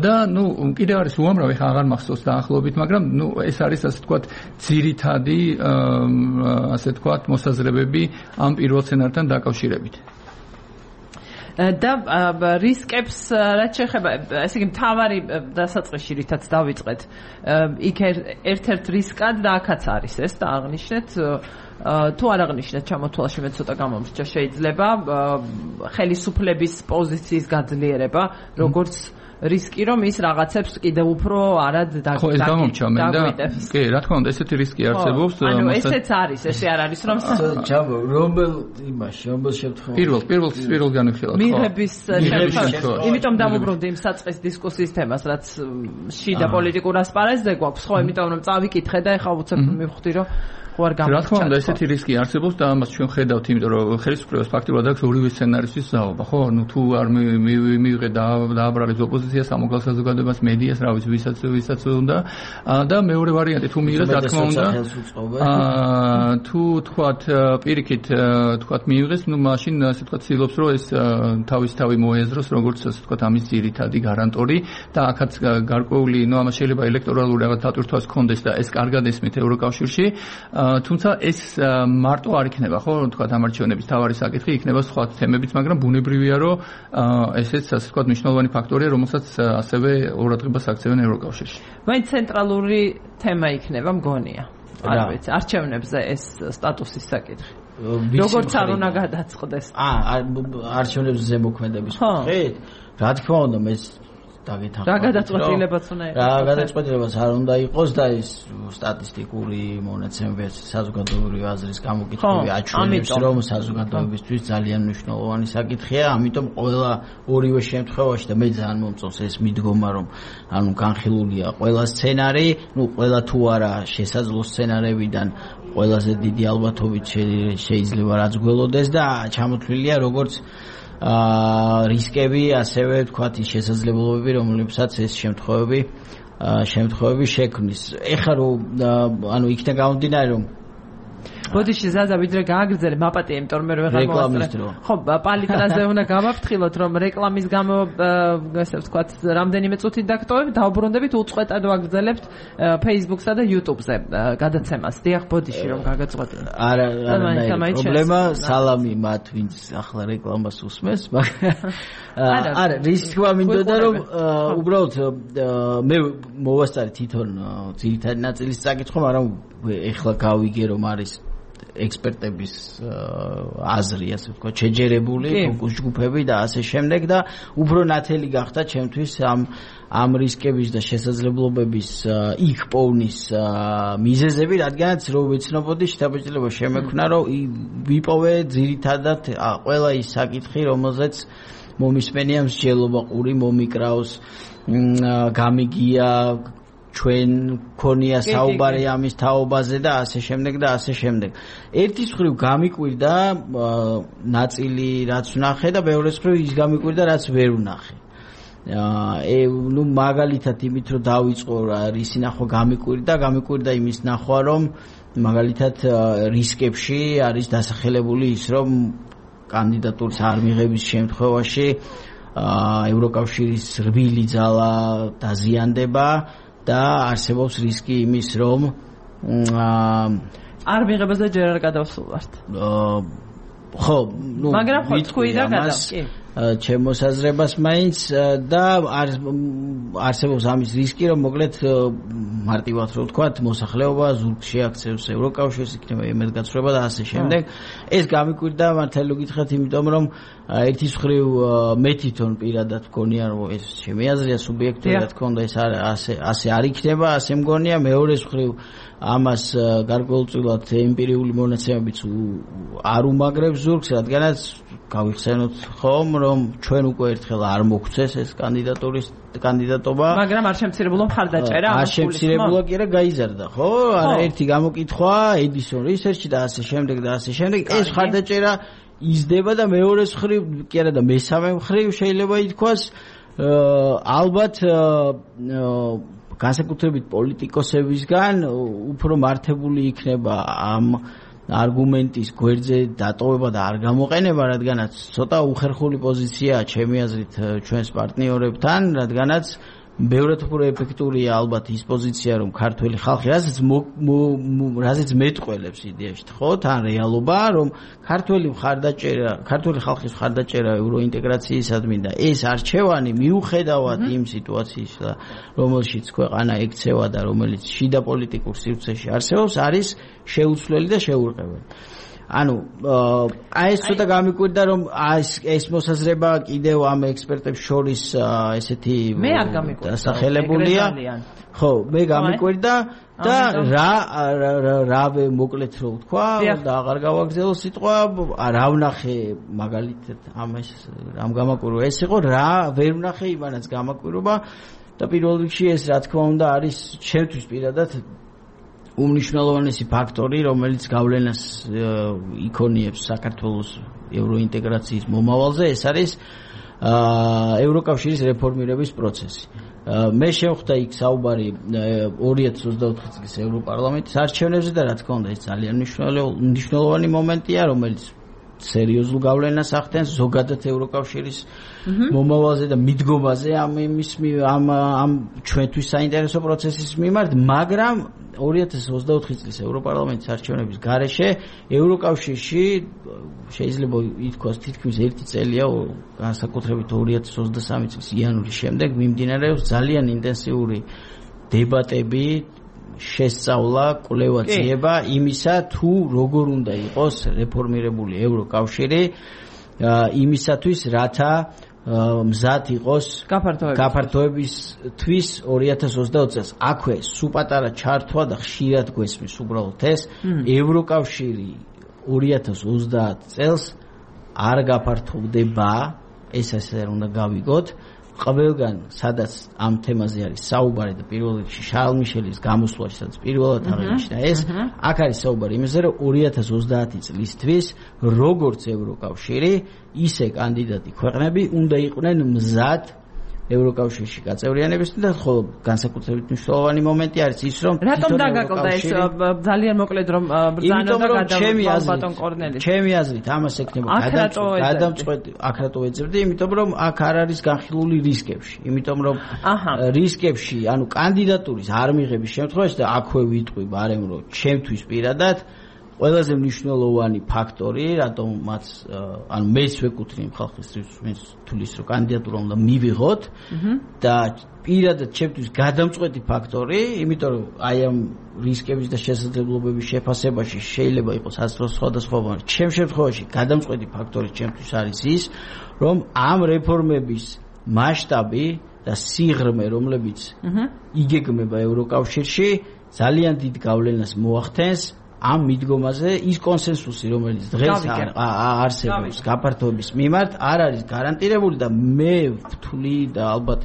და ნუ კიდევ არის უამრავი, ხა აღარ მახსოვს დაახლოებით, მაგრამ ნუ ეს არის ასე თქვათ ძირითადი ასე თქვათ მოსაზრებები ამ პირველ სცენართან დაკავშირებით. და რისკებს რაც შეეხება, ესე იგი მთავარი დასაწყისში რითაც დავიწყეთ, იქ ერთ-ერთ რისკად და აქაც არის ეს და აღნიშნეთ თუ არ აღნიშნეთ ჩამოთვალში მე ცოტა გამომრჩა შეიძლება ხელისუფლების პოზიციის გაძლიერება, როგორც რისკი რომ ის რაღაცებს კიდევ უფრო არად დაგვიტევს. კი, რა თქმა უნდა, ესეთი რისკი არსებობს. ანუ ესეც არის, ესე არ არის რომ რომელ შემთხვევაში პირველ განხილვას მიღების შემთხვევაში. იმიტომ დავუბრუნდი იმ საწყის დისკუსიის თემას, რაც შიდა პოლიტიკურ ასპარეზზე გვაქვს, ხო, იმიტომ რომ წავიკითხე და ეხლა უცებ მივხვდი რომ რა თქმა უნდა, ესეთი რისკი არსებობს და ამას ჩვენ ხედავთ, იმიტომ რომ ხელისუფლებას ფაქტობრივად აქვს ორივე სცენარისთვის ზაობა, ხო? ნუ თუ არ მივიღე დააბრალებს ოპოზიციას, სამოქალაქო საზოგადოებას, მედიას, რა ვიცი, ვისაც უნდა და მეორე ვარიანტი თუ მიიღეს, რა თქმა უნდა, თუ თქვათ პირიქით თქვათ მიიღეს, ნუ მაშინ ასე თქვათ ცდილობს, რომ ეს თავისთავად მოეაზროს, როგორც ასე თქვათ ამის ძირითადი გარანტორი და აქაც გარკვეული, ნუ ამას შეიძლება ელექტორალური რაღაც დატვირთვას ჰქონდეს და ეს კარგად ესმით ევროკავშირში. თუმცა ეს მარტო არ იქნება, ხო, თქვა ამარჩევნების თავარი საკითხი იქნება სხვა თემებიც, მაგრამ ბუნებრივია, რომ ესეც ასე თქვა მნიშვნელოვანი ფაქტორია, რომელსაც ასევე ყურადღებას აქცევენ ევროკავშირში. მაინც ცენტრალური თემა იქნება მგონია. არ ვიცი, არჩევნებზე ეს სტატუსის საკითხი. როგორც არ უნდა გადაწყდეს. არჩევნებზე ზემოქმედების კუთხით, რა თქმა უნდა, მე დაგეთანხმებით. რა გადაწყვეტილებაც უნდა იყოს. რა გადაწყვეტილებაც არ უნდა იყოს და ეს სტატისტიკური მონაცემები საზოგადოებრივი აზრის გამოკითხვები აჩვენებს, რომ საზოგადოებისთვის ძალიან მნიშვნელოვანი საკითხია, ამიტომ ყველა ორივე შემთხვევაში და მე ძალიან მომწონს ეს მიდგომა, რომ ანუ განხილულია ყველა სცენარი, ყველა თუ არა შესაძლო სცენარებიდან ყველაზე დიდი ალბათობით შეიძლება რაც გველოდეს და ჩამოთვლილია როგორც რისკები, ასევე ვთქვათ ის შესაძლებლობები, რომლებსაც ეს შემთხვევები შექმნის. ეხლა რომ ანუ იქნა გამომდინარე რომ ბოდიში ზაზა ვიდრე გააგრძელე მაპატია, იმიტომ რომ ვეღარ მოვასწრე. ხო, პალიტრაზე უნდა გავაფრთხილოთ, რომ რეკლამის გამო ესე ვთქვათ, რამდენიმე წუთით დაგტოვებ, დაუბრუნდებით უწყვეტად ვაგრძელებთ Facebook-სა და YouTube-ზე გადაცემას. დიახ, ბოდიში რომ გაგაწყვეტინე. არა, პრობლემა, სალამი მათ, ვინც ახლა რეკლამას უსმენს, არა, რისკვა მინდოდა რომ უბრალოდ მე მოვასწარე თვითონ ძირითადი ნაწილის საკითხო, მაგრამ ეხლა გავიგე რომ არის ექსპერტების აზრი, ასე ვთქვათ, შეჯერებული ფოკუს ჯგუფები და ასე შემდეგ და უფრო ნათელი გახდა ჩემთვის ამ რისკების და შესაძლებლობების იქ პოვნის მიზეზები, რადგანაც რო ვიცნობოდი შთაბეჭდილება შემექმნა, რომ ვიპოვე ძირითადად ყველა ის საკითხი, რომელზეც მომისმენია მსჯელობა, ყური მომიკრავს, გამიგია ჩვენ ქონია საუბარი ამის თაობაზე და ასე შემდეგ და ასე შემდეგ. ერთის მხრივ გამიკვირდა ნაწილი რაც ვნახე და მეორეს მხრივ ის გამიკვირდა რაც ვერ ვნახე. ნუ მაგალითად იმით რომ დავიწყო რისი ნახვა გამიკვირდა იმის ნახვა რომ მაგალითად რისკებში არის დასახელებული ის რომ კანდიდატურის არ მიღების შემთხვევაში ევროკავშირის რბილი ძალა დაზიანდება და არსებობს რისკი იმის რომ არ მიღებაზე ჯერ არ გადავსულვართ. ხო, ნუ მაგრამ ხო თქვი და გადავ. კი. ჩემოსაზრებას მაინც და არსებობს ამის რისკი რომ მოკლედ მარტივად რო ვთქვათ მოსახლეობა ზურგში აქცევს ევროკავშირს იქნება იმედგაცრუება და ასე შემდეგ. ეს გამიკვირდა მართალი გითხრათ იმიტომ რომ ერთის მხრივ მე თვითონ პირადად მგონია რომ ეს ჩემი აზრია სუბიექტურად თქონდა ეს ასე არ იქნება, ასე მგონია. მეორეს მხრივ ამას გარკვეულწილად ემპირიული მონაცემებიც არ უმაგრებს ზურგს, რადგანაც გავიხსენოთ ხომ რომ ჩვენ უკვე ერთხელ არ მოგცეს ეს კანდიდატობა, მაგრამ არ შემცირებულა მხარდაჭერა, არ შემცირებულა კი არა გაიზარდა, ხო? არა ერთი გამოკითხვა Edison Research და ასე შემდეგ და ასე შემდეგ. ეს მხარდაჭერა იზრდება და მეორეს მხრივ კი არა და მესამე მხრივ შეიძლება ითქვას ალბათ განსაკუთრებით პოლიტიკოსებისგან უფრო მართებული იქნება ამ არგუმენტის გვერდზე დატოვება და არ გამოყენება, რადგანაც ცოტა უხერხული პოზიციაა ჩემი აზრით ჩვენს პარტნიორებთან, რადგანაც ბევრად უფრო ეფექტურია ალბათ ის პოზიცია, რომ ქართველი ხალხი, რაზეც მეტყველებს იდეაში, ხო, თან რეალობა, რომ ქართველი ხალხის მხარდაჭერა ევროინტეგრაციისადმი და ეს არჩევანი მიუხედავად იმ სიტუაციის, რომელშიც ქვეყანა ექცევა და რომელიც შიდა პოლიტიკურ სივრცეში არსებობს, არის შეუცვლელი და შეურყეველი. ანუ ეს ცოტა გამიკვირდა რომ ეს მოსაზრება კიდევ ამ ექსპერტებს შორის ესეთი დასახელებულია. ხო, მე გამიკვირდა და რა მოკლედ რო ვთქვა და აღარ გავაგზავნო სიტყვა, რა ვნახე მაგალითად ამას რამ გამაკვირვა ეს იყო, რა ვერ ვნახე იმანაც გამაკვირვა და პირველ რიგში ეს რა თქმა უნდა არის ჩემთვის პირადად უმნიშვნელოვანესი ფაქტორი, რომელიც გავლენას იქონიებს საქართველოს ევროინტეგრაციის მომავალზე, ეს არის ევროკავშირის რეფორმირების პროცესი. მე შევხვდა იქ საუბარი 2024 წლის ევროპარლამენტის არჩევნებზე და რა თქმა უნდა ეს ძალიან მნიშვნელოვანი მომენტია, რომელიც სერიოზულ გავლენას ახდენს ზოგადად ევროკავშირის მომავალზე და მიდგომაზე ამ ჩვენთვის საინტერესო პროცესის მიმართ, მაგრამ 2024 წლის ევროპარლამენტის არჩევნების გარეშე ევროკავშირში შეიძლება ითქვას თითქმის ერთი წელია, განსაკუთრებით 2023 წლის იანვრის შემდეგ მიმდინარეობს ძალიან ინტენსიური დებატები, შესწავლა, კვლევა ძიება იმისა, თუ როგორ უნდა იყოს რეფორმირებული ევროკავშირი, იმისათვის, რათა მზად იყოს გაფართოებისთვის 2020 წელს. აქვე სუპატარა ჩართვა და ხშირად გვესმის უბრალოდ ეს ევროკავშირი 2030 წელს არ გაფართოვდება, ეს ასე უნდა გავიგოთ. ყველგან სადაც ამ თემაზე არის საუბარი და პირველ რიგში შარლ მიშელის გამოსვლაში სადაც პირველად აღინიშნა ეს, აქ არის საუბარი იმაზე, რომ 2030 წლისთვის როგორც ევროკავშირი, ისე კანდიდატი ქვეყნები უნდა იყვნენ მზად ევროკავშირში გაწევრიანებისთვის და ხოლო განსაკუთრებით მნიშვნელოვანი მომენტი არის ის, რომ რატომ დაგაკლდა ეს ძალიან მოკლედ რომ ბრძანო და გადავიდა ბატონ კორნელის. ჩემი აზრით ამას ექნება გადამწყვეტი აქ რატო ეძებდი, იმიტომ რომ აქ არ არის განხილული რისკებში. იმიტომ რომ რისკებში, ანუ კანდიდატურის არ მიღების შემთხვევაში და აქვე ვიტყვი ბარემ რომ ჩემთვის პირადად ყველაზე მნიშვნელოვანი ფაქტორი, რატომაც ანუ მეც ვეკუთვნი ხალხისთვის თulis რომ კანდიდატურა უნდა მივიღოთ და პირადად ჩემთვის გადამწყვეტი ფაქტორი, იმიტომ რომ აი ამ რისკების და შესაძლებლობების შეფასებაში შეიძლება იყოს სხვადასხვაგვარი. ჩემ შემთხვევაში გადამწყვეტი ფაქტორი ჩემთვის არის ის, რომ ამ რეფორმების მასშტაბი და სიღრმე, რომლებიც იგეგმება ევროკავშირში, ძალიან დიდ გავლენას მოახდენს ამ მიდგომაზე. ის კონსენსუსი, რომელიც დღეს არსებობს გაფართოების მიმართ, არ არის გარანტირებული და მე ვთვლი და ალბათ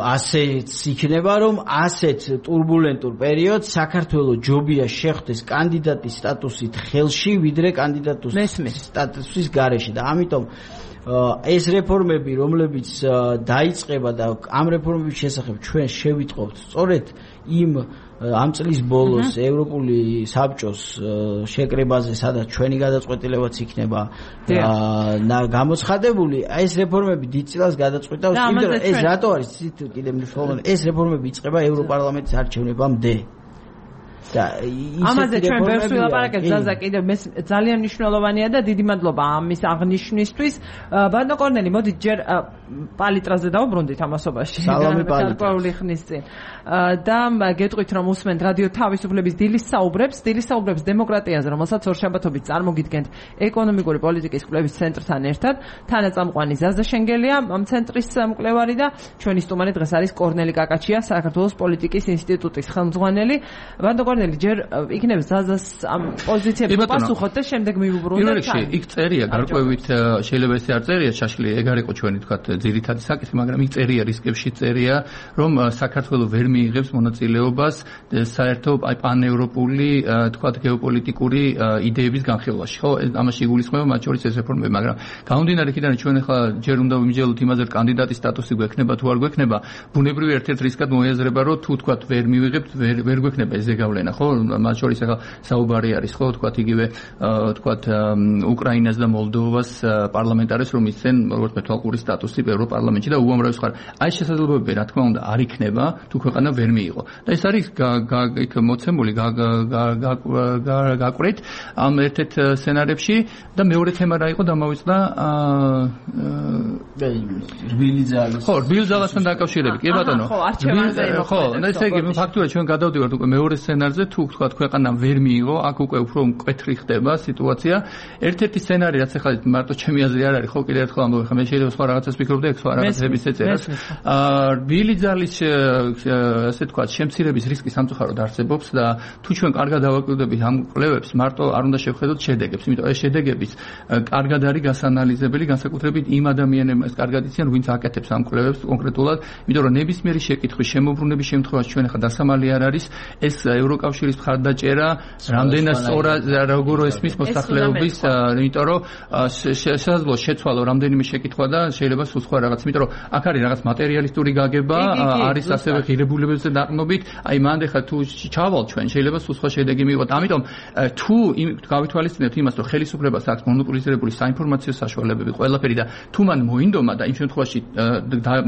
ასეც იქნება, რომ ასეთ ტურბულენტურ პერიოდს საქართველოს ჯობია შეხვდეს კანდიდატის სტატუსით ხელში, ვიდრე კანდიდატის სტატუსის გარეშე და ამიტომ ეს რეფორმები, რომლებიც დაიწყება და ამ რეფორმების შესახებ ჩვენ შევიტყობთ სწორედ იმ ამ წლის ბოლოს ევროპული საბჭოს შეკრებაზე, სადაც ჩვენი გადაწყვეტილებაც იქნება გამოცხადებული, ეს რეფორმები დიდ წილს გადაწყვეტავს, იმიტომ რომ ეს რატო არის კიდევ მნიშვნელოვანი, ეს რეფორმები იწყება ევროპარლამენტის არჩევნებამდე. ამაზე ჩვენ ბევრს ვილაპარაკებთ, ზაზა კიდევ ძალიან მნიშვნელოვანია და დიდი მადლობა ამის აღნიშვნისთვის. ბატონო კორნელი, მოდით ჯერ პალიტრაზე დავუბრუნდით ამასობაში გარკვეული ხნის წინ და გეტყვით რომ უსმენთ რადიო თავისუფლების დილის საუბრებს დემოკრატიაზე, რომელსაც ორშაბათობით წარმოგიდგენთ ეკონომიკური პოლიტიკის კვლევის ცენტრთან ერთად. თანაწამყვანი ზაზა შენგელია, ამ ცენტრის მკვლევარი და ჩვენი სტუმარი დღეს არის კორნელი კაკაჩია, საქართველოს პოლიტიკის ინსტიტუტის ხელმძღვანელი. ბატონო კორნელი, ჯერ იქნებ ზაზას ამ პოზიციებს პასუხოთ და შემდეგ მივუბრუნდეთ. პირველ რიგში იქ წერია გარკვევით, შეიძლება ესე არ წერია შაშლი, ეგ არ იყო ჩვენი თქვა ძირითადი საკითხი, მაგრამ იქ წერია რისკებში წერია, რომ საქართველოს ვერ მიიღებს მონაწილეობას საერთო პანევროპული თქვა გეოპოლიტიკური იდეების განხილვაში. ხო, ამაში იგულისხმება მათ შორის ეს რეფორმები, მაგრამ გამომდინარე იქიდან ჩვენ ახლა ჯერ უნდა ვიმსჯელოთ იმაზე, რომ კანდიდატის სტატუსი გვექნება თუ არ გვექნება, ბუნებრივი ერთ-ერთ რისკად მოიაზრება, რომ თუ თქვა ვერ მივიღებთ, ვერ გვექნება ეს ზეგავლენა, ხო? მათ შორის ახლა საუბარი არის, ხო, თქვა იგივე თქვა უკრაინას და მოლდოვას პარლამენტარებს რომ ისცენ როგორც მეთვალყური სტატუსი ევროპარლამენტში და უამრავი სხვა. აი შესაძლებლობები რა თქმა უნდა არ იქნება თუ ქვეყანა ვერ მიიღო. და ეს არის იქ მოცემული გაკვრით ამ ერთ-ერთ სცენარებში და მეორე თემა რა იყო დამავიწყდა რბილი ძალის. ხო, რბილი ძალასთან დაკავშირებით. კი ბატონო. ხო, ესე იგი ფაქტურად ჩვენ გადავდივართ უკვე მეორე სცენარზე, თუ თქვა ქვეყანა ვერ მიიღო, აქ უკვე უფრო მკვეთრი ხდება სიტუაცია. ერთ-ერთი სცენარი რაც ახლა მარტო ჩემი აზრი არ არის, ხო, კიდევ ერთხელ ამბობ, ხა მე შეიძლება სხვა რაღაცას ვფიქრობ და სხვა რაღაცების ეწერას. რბილი ძალის ასე თქვა შემცირების რისკი სამწუხაროდ არსებობს და თუ ჩვენ კარგად დავაკვირდებით ამ კვლევებს, მარტო არ უნდა შევხედოთ შედეგებს, იმიტომ ეს შედეგების კარგად არის გასანალიზებელი, განსაკუთრებით იმ ადამიანებმა ეს კარგად იციან, ვინც აკეთებს ამ კვლევებს კონკრეტულად, იმიტომ რომ ნებისმიერი შეკითხვის შემოbrunების შემთხვევაში ჩვენ ახლა დასამალი არ არის ეს ევროკავშირის მხარდაჭერა, რამდენად სწორად როგორ ესმის მოსახლეობის, იმიტომ რომ შესაძლოა შეცვალო რამდენიმე შეკითხვა და შეიძლება სულ სხვა რაღაც, იმიტომ რომ აქ არის რაღაც მატერიალისტური გაგება, არის ასევე ღირებულებებზე დაყრდნობით, აი მანდ ხა თუ ჩავალ ჩვენ შეიძლება სულ სხვა შედეგი მივიღოთ. ამიტომ თუ გავითვალისწინებთ იმას, რომ ხელისუფლებას აქვს მონოპოლიზირებული საინფორმაციო საშუალებები ყველაფერი და თუ მან მოინდომა და იმ შემთხვევაში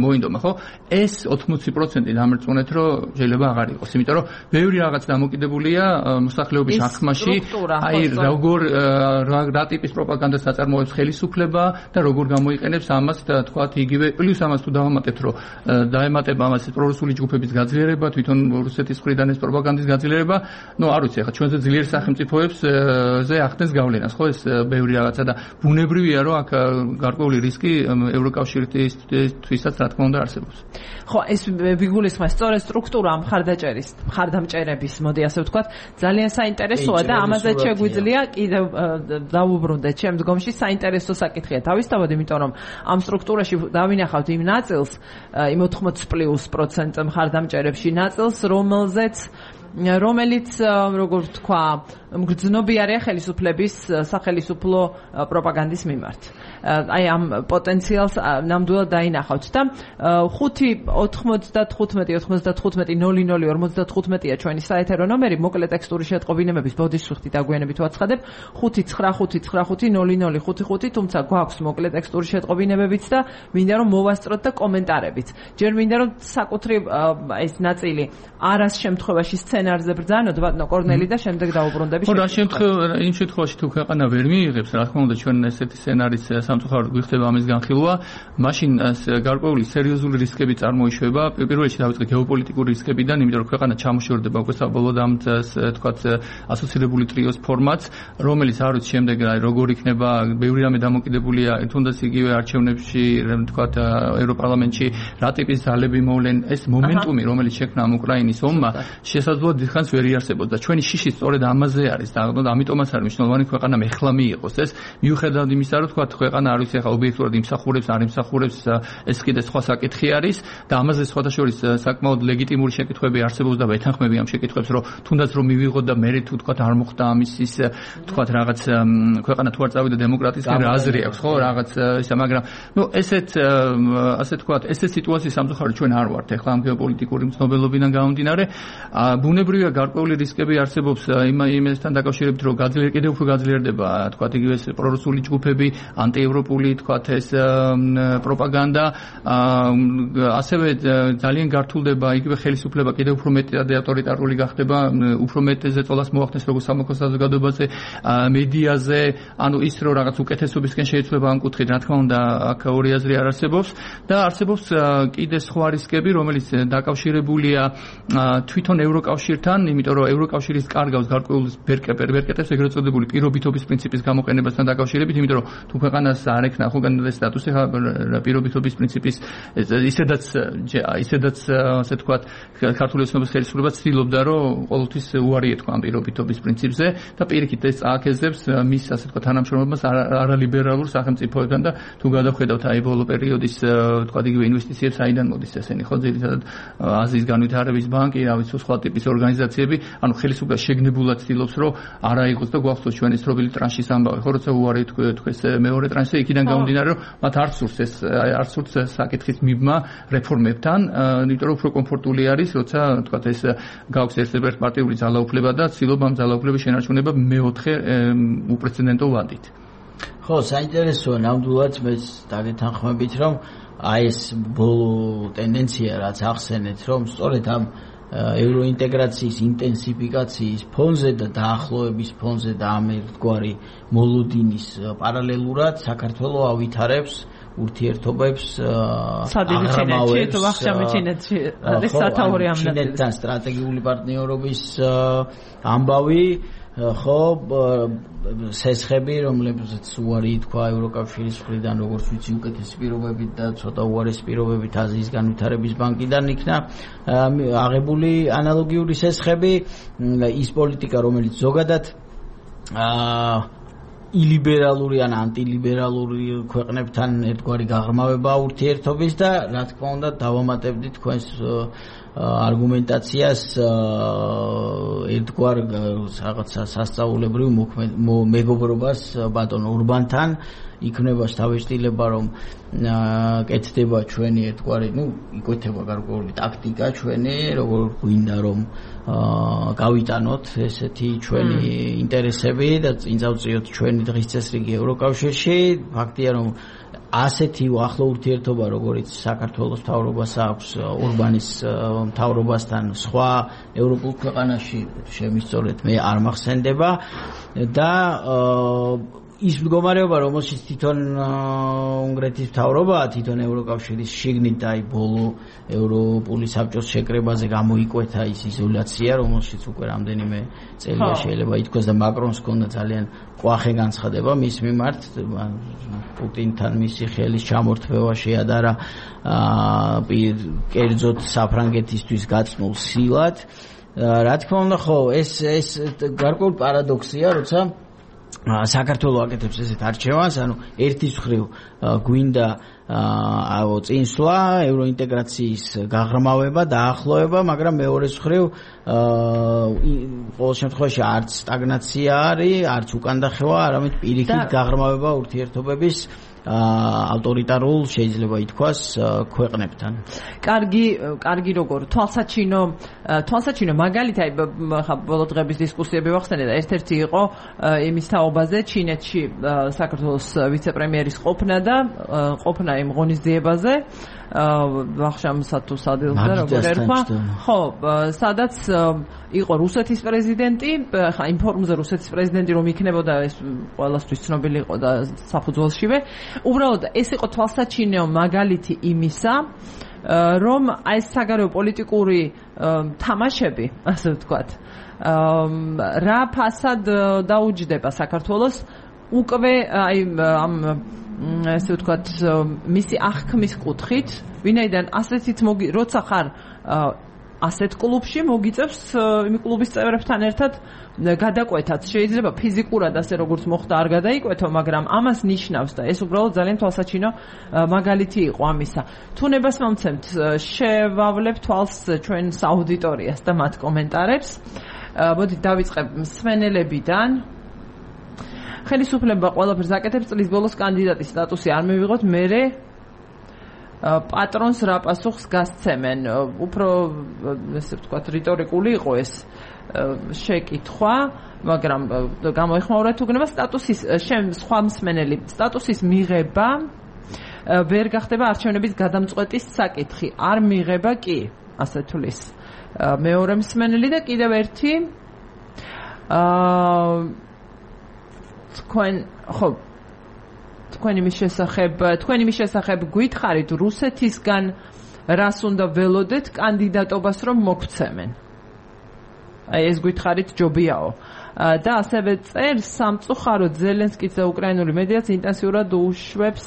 მოინდომა, ხო? ეს 80% დამრწმუნეთ, რომ შეიძლება აღარ იყოს, იმიტომ რომ ბევრი რაღაც დამოკიდებულია მოსახლეობის აღქმაში, აი როგორ რა ტიპის პროპაგანდას აწარმოებს ხელისუფლება და როგორ გამოიყენებს ამას თქვათ იგივე პლუს ამას თუ დავამატებთ რომ დაემატება ამას პრორუსული ჯგუფების გაძლიერება, თვითონ რუსეთის მხრიდან ეს პროპაგანდის გაძლიერება, არ ვიცი, ახლა ჩვენზე ძლიერ სახელმწიფოებს ზე ახდენს გავლენას, ხო ეს ბევრი რაღაცა და ბუნებრივია რომ აქ გარკვეული რისკი ევროკავშირისთვისაც რა თქმა უნდა არსებობს. ხო, ეს ვიგულისხმევ სწორედ სტრუქტურა მხარდამჭერების, მოდი ასე ვთქვათ, ძალიან საინტერესოა და ამაზე შეგვიძლია კიდევ დავუბრუნდეთ ჩემ დგომში საინტერესო საკითხია. თავისთავად, იმიტომ რომ ამ სტრუქტურაში დავინახავთ იმ ნაწილს, იმ 80+% მხარდამჭერებში ნაწილს, რომელიც როგორ ვთქვა, მგრძნობიარეა ხელისუფლების სახელისუფლო პროპაგანდის მიმართ. აი ამ პოტენციალს ნამდვილად დაინახავთ და 5-95-95-00-55-00-55-ია ჩვენი საეთერო ნომერი, მოკლე ტექსტური შეტყობინებების ბოდიშფრთით აგვიანებით ვაცხადებ 595-55-00-55, თუმცა გვაქვს მოკლე ტექსტური შეტყობინებებიც და მინდა რომ მოვასწროთ და კომენტარებიც. ჯერ მინდა რომ საკუთრივ ეს ნაწილი არას შემთხვევაში სცენარზე ბრძანოთ ბატონო კორნელი და შემდეგ დაუბრუნდები. ხო, იმ შემთხვევაში თუ ქვეყანა ვერ მიიღებს, რა თქმა უნდა ჩვენ ესეთი სცენარის სამწუხაროდ გვიხდება ამის განხილვა, მაშინ გარკვეული სერიოზული რისკები წარმოიშვება. პირველ რიგში დავიწყე გეოპოლიტიკური რისკებიდან, იმიტომ რომ ქვეყანა ჩამოშორდება უკვე საბოლოოდ ამ თქვათ ასოცირებული ტრიოს ფორმატს, რომელიც არ ვიცი შემდეგ როგორ იქნება, ბევრი რამე დამოკიდებულია თუნდაც იგივე არჩევნებში, თქვათ ევროპარლამენტში რა ტიპის ძალები მოვლენ, ეს მომენტუმი, რომელიც შექმნა ამ უკრაინის ომმა, შესაძლოა დიდხანს ვერ იარსებოდა. ჩვენი შიში სწორედ ამაზე არის და ამიტომაც არის მნიშვნელოვანი ქვეყანა ეხლა მიიღოს ეს, მიუხედავად იმისა, რომ თქვათ ქვეყანა არ ვიცი ახლა ობიექტურად იმსახურებს, არ იმსახურებს, ეს კიდე სხვა საკითხი არის და ამაზე სხვადასხვა საკმაოდ ლეგიტიმური შეკითხვები არსებობს და ვეთანხმები ამ შეკითხვებს, რომ თუნდაც რომ მივიღოთ და მე თუ თქვათ არ მოხდა ამის ის თქვათ რაღაც ქვეყანა თუ არ წავიდა დემოკრატიისკენ რა აზრი აქვს, ხო, რაღაც ისა, მაგრამ ასე თქვათ, ეს სიტუაციის სამწუხაროდ ჩვენ არ ვართ ახლა ამ გეოპოლიტიკური მცნობელობიდან გამომდინარე. ბუნებრივია გარკვეული რისკები არსებობს იმასთან დაკავშირებით, რომ კიდევ უფრო გაძლიერდება თქვათ იგივე პრორუსული ჯგუფები, ანტიევროპული თქვათ ეს პროპაგანდა, ასევე ძალიან გართულდება იგივე ხელისუფლება კიდევ უფრო მეტად ავტორიტარული გახდება, უფრო მეტ ზეწოლას მოახდენს როგორც სამოქალაქო საზოგადოებაზე, მედიაზე, ანუ ის რომ რაღაც უკეთესობისკენ შეიცვლება ამ კუთხით, რა თქმა უნდა, აქ ორი აზრი არ არსებობს და არსებობს კიდე სხვა რისკები, რომელიც დაკავშირებულია თვითონ ევროკავშირთან, იმიტომ რომ ევროკავშირის კარგავს გარკვეულ ბერკეტებს ეგრეთ წოდებული პირობითობის პრინციპის გამოყენებასთან დაკავშირებით, იმიტომ რომ თუ ქვეყანას არ ექნა ხო კანდიდატის სტატუსი, პირობითობის პრინციპის ისედაც ასე თქვათ ქართული ოცნების ხელისუფლება ცდილობდა რომ ყოველთვის უარი ეთქვა ამ პირობითობის პრინციპზე და პირიქით ეს წააქეზებს მის ასე თქვათ თანამშრომლობას არალიბერალურ სახელმწიფოებთან და თუ გადავხედავთ აი ბოლო პერიოდის თქვათ იგივე ინვესტიციებს აიდან მოდის ესენი ხო ძირითადად აზიის განვითარების ბანკი, რა ვიცი სხვა ტიპის ორგანიზაციები, ანუ ხელისუფლება შეგნებულად ცდილობს რომ არა იყოს და გვახსოვს ჩვენი სტრობილი ტრანშის ამბავი, ხო როცა უარი თქვეს მეორე ტრანშზე, იქიდან გამომდინარე რომ მათ არ სურს საკითხის მიბმა რეფორმებთან, იმიტომ რომ უფრო კომფორტული არის, როცა თქვათ ეს გაქვს ერთ-ერთი პარტიული ძალაუფლება და ცდილობა ამ ძალაუფლების შენარჩუნება მეოთხე უპრეცედენტო ვადით. ხო, საინტერესოა ნამდვილად მეც დაგეთანხმებით, რომ აი ეს ბოლო ტენდენცია რაც ახსენეთ, რომ სწორედ ამ ევროინტეგრაციის ინტენსიფიკაციის ფონზე და დაახლოების ფონზე და ამ ერთგვარი მოლოდინის პარალელურად საქართველოს ავითარებს ურთიერთობებს ჩინეთთან სტრატეგიული პარტნიორობის ამბავი, ხო, სესხები, რომლებზეც უარი ითქვა ევროკავშირის მხრიდან, როგორც ვიცი, უკეთესი პირობებით და ცოტა უარესი პირობებით აზიის განვითარების ბანკიდან იქნა აღებული ანალოგიური სესხები, ის პოლიტიკა, რომელიც ზოგადად ილიბერალური ან ანტილიბერალური ქვეყნებთან ერთგვარი გაღრმავება ურთიერთობის და რა თქმა უნდა დავამატებდით თქვენს არგუმენტაციას ერთგვარ რაღაცა სასწაულებრივ მეგობრობას ბატონ ურბანთან იქნება შთაბეჭდილება რომ კეთდება ჩვენი ერთგვარი, იკვეთება გარკვეული ტაქტიკა ჩვენი, როგორ გვინდა რომ გავიტანოთ ესეთი ჩვენი ინტერესები და წინ წავწიოთ ჩვენი დღის წესრიგი ევროკავშირში. ფაქტია რომ ასეთი ახლო ურთიერთობა, როგორც საქართველოს მთავრობას აქვს ორბანის მთავრობასთან სხვა ევროპულ ქვეყანაში, შემისწორეთ მე არ მახსენდება და ის მდგომარეობა, რომელშიც თვითონ უნგრეთის მთავრობაა, თვითონ ევროკავშირის შიგნით და აი ბოლო ევროპული საბჭოს შეკრებაზე გამოიკვეთა ის იზოლაცია, რომელშიც უკვე რამდენიმე წელია შეიძლება ითქვას და მაკრონს ჰქონდა ძალიან ყვახე განცხადება მის მიმართ, პუტინთან მისი ხელის ჩამორთმევა შეადარა კერძოდ საფრანგეთისთვის გაწნულ სილად. რა თქმა უნდა, ხო, ეს გარკვეული პარადოქსია, როცა საქართველოს აკეთებს ესეთ არჩევანს, ანუ ერთის მხრივ გვინდა წინსვლა, ევროინტეგრაციის გაღრმავება, დაახლოება, მაგრამ მეორეს მხრივ ყოველ შემთხვევაში არც სტაგნაცია არის, არც უკანდახევა, არამედ პირიქით გაღრმავება ურთიერთობების ავტორიტარულ შეიძლება ითქვას ქვეყნებთან. კარგი როგორ თვალსაჩინო მაგალითი აი ბოლო დღების დისკუსიები ვახსენე და ერთ-ერთი იყო იმის თაობაზე ჩინეთში საქართველოს ვიცე-პრემიერის ყოფნა იმ ღონისძიებაზე ვახშამსა თუ სადილზე როგორ ერქვა ხო სადაც იყო რუსეთის პრეზიდენტი ხა იმ ფორუმზე რუსეთის პრეზიდენტი რომ იქნებოდა ეს ყველასთვის ცნობილი იყო და საფუძველშივე უბრალოდ ეს იყო თვალსაჩინო მაგალითი იმისა რომ აი ეს საგარეო პოლიტიკური თამაშები ასე ვთქვათ რა ფასად დაუჯდება საქართველოს უკვე აი ამ ასე ვთქვათ მისი აღქმის კუთხით ვინაიდან ასეთით როცა ხარ ასეთ კლუბში მოგიწევს იმ კლუბის წევრებთან ერთად გადაკვეთაც შეიძლება ფიზიკურად ასე როგორც მოხდა არ გადაიკვეთო მაგრამ ამას ნიშნავს და ეს უბრალოდ ძალიან თვალსაჩინო მაგალითი იყო ამისა თუ ნებას მომცემთ შევავლებ თვალს ჩვენს აუდიტორიას და მათ კომენტარებს მოდით დავიწყებ მსმენელებიდან ხელისუფლება ყველაფერს აკეთებს წლის ბოლოს კანდიდატის სტატუსი არ მივიღოთ მერე პატრონს რა პასუხს გასცემენ უფრო ესე ვთქვათ რიტორიკული იყო ეს შეკითხვა მაგრამ გამოიხმაურა თუ გნება სტატუსის სხვა მსმენელი სტატუსის მიღება ვერ გახდება არჩევნების გადამწყვეტის საკითხი არ მიღება კი ასე თulis მეორე მსმენელი და კიდევ ერთი თქვენი მის შესახებ გითხარით რუსეთისგან რას უნდა ველოდეთ კანდიდატობას რომ მოგცემენ აი ეს გითხარით ჯობიაო და ასევე წერს სამწუხაროდ ზელენსკის და უკრაინული მედიაც ინტენსიურად უშვებს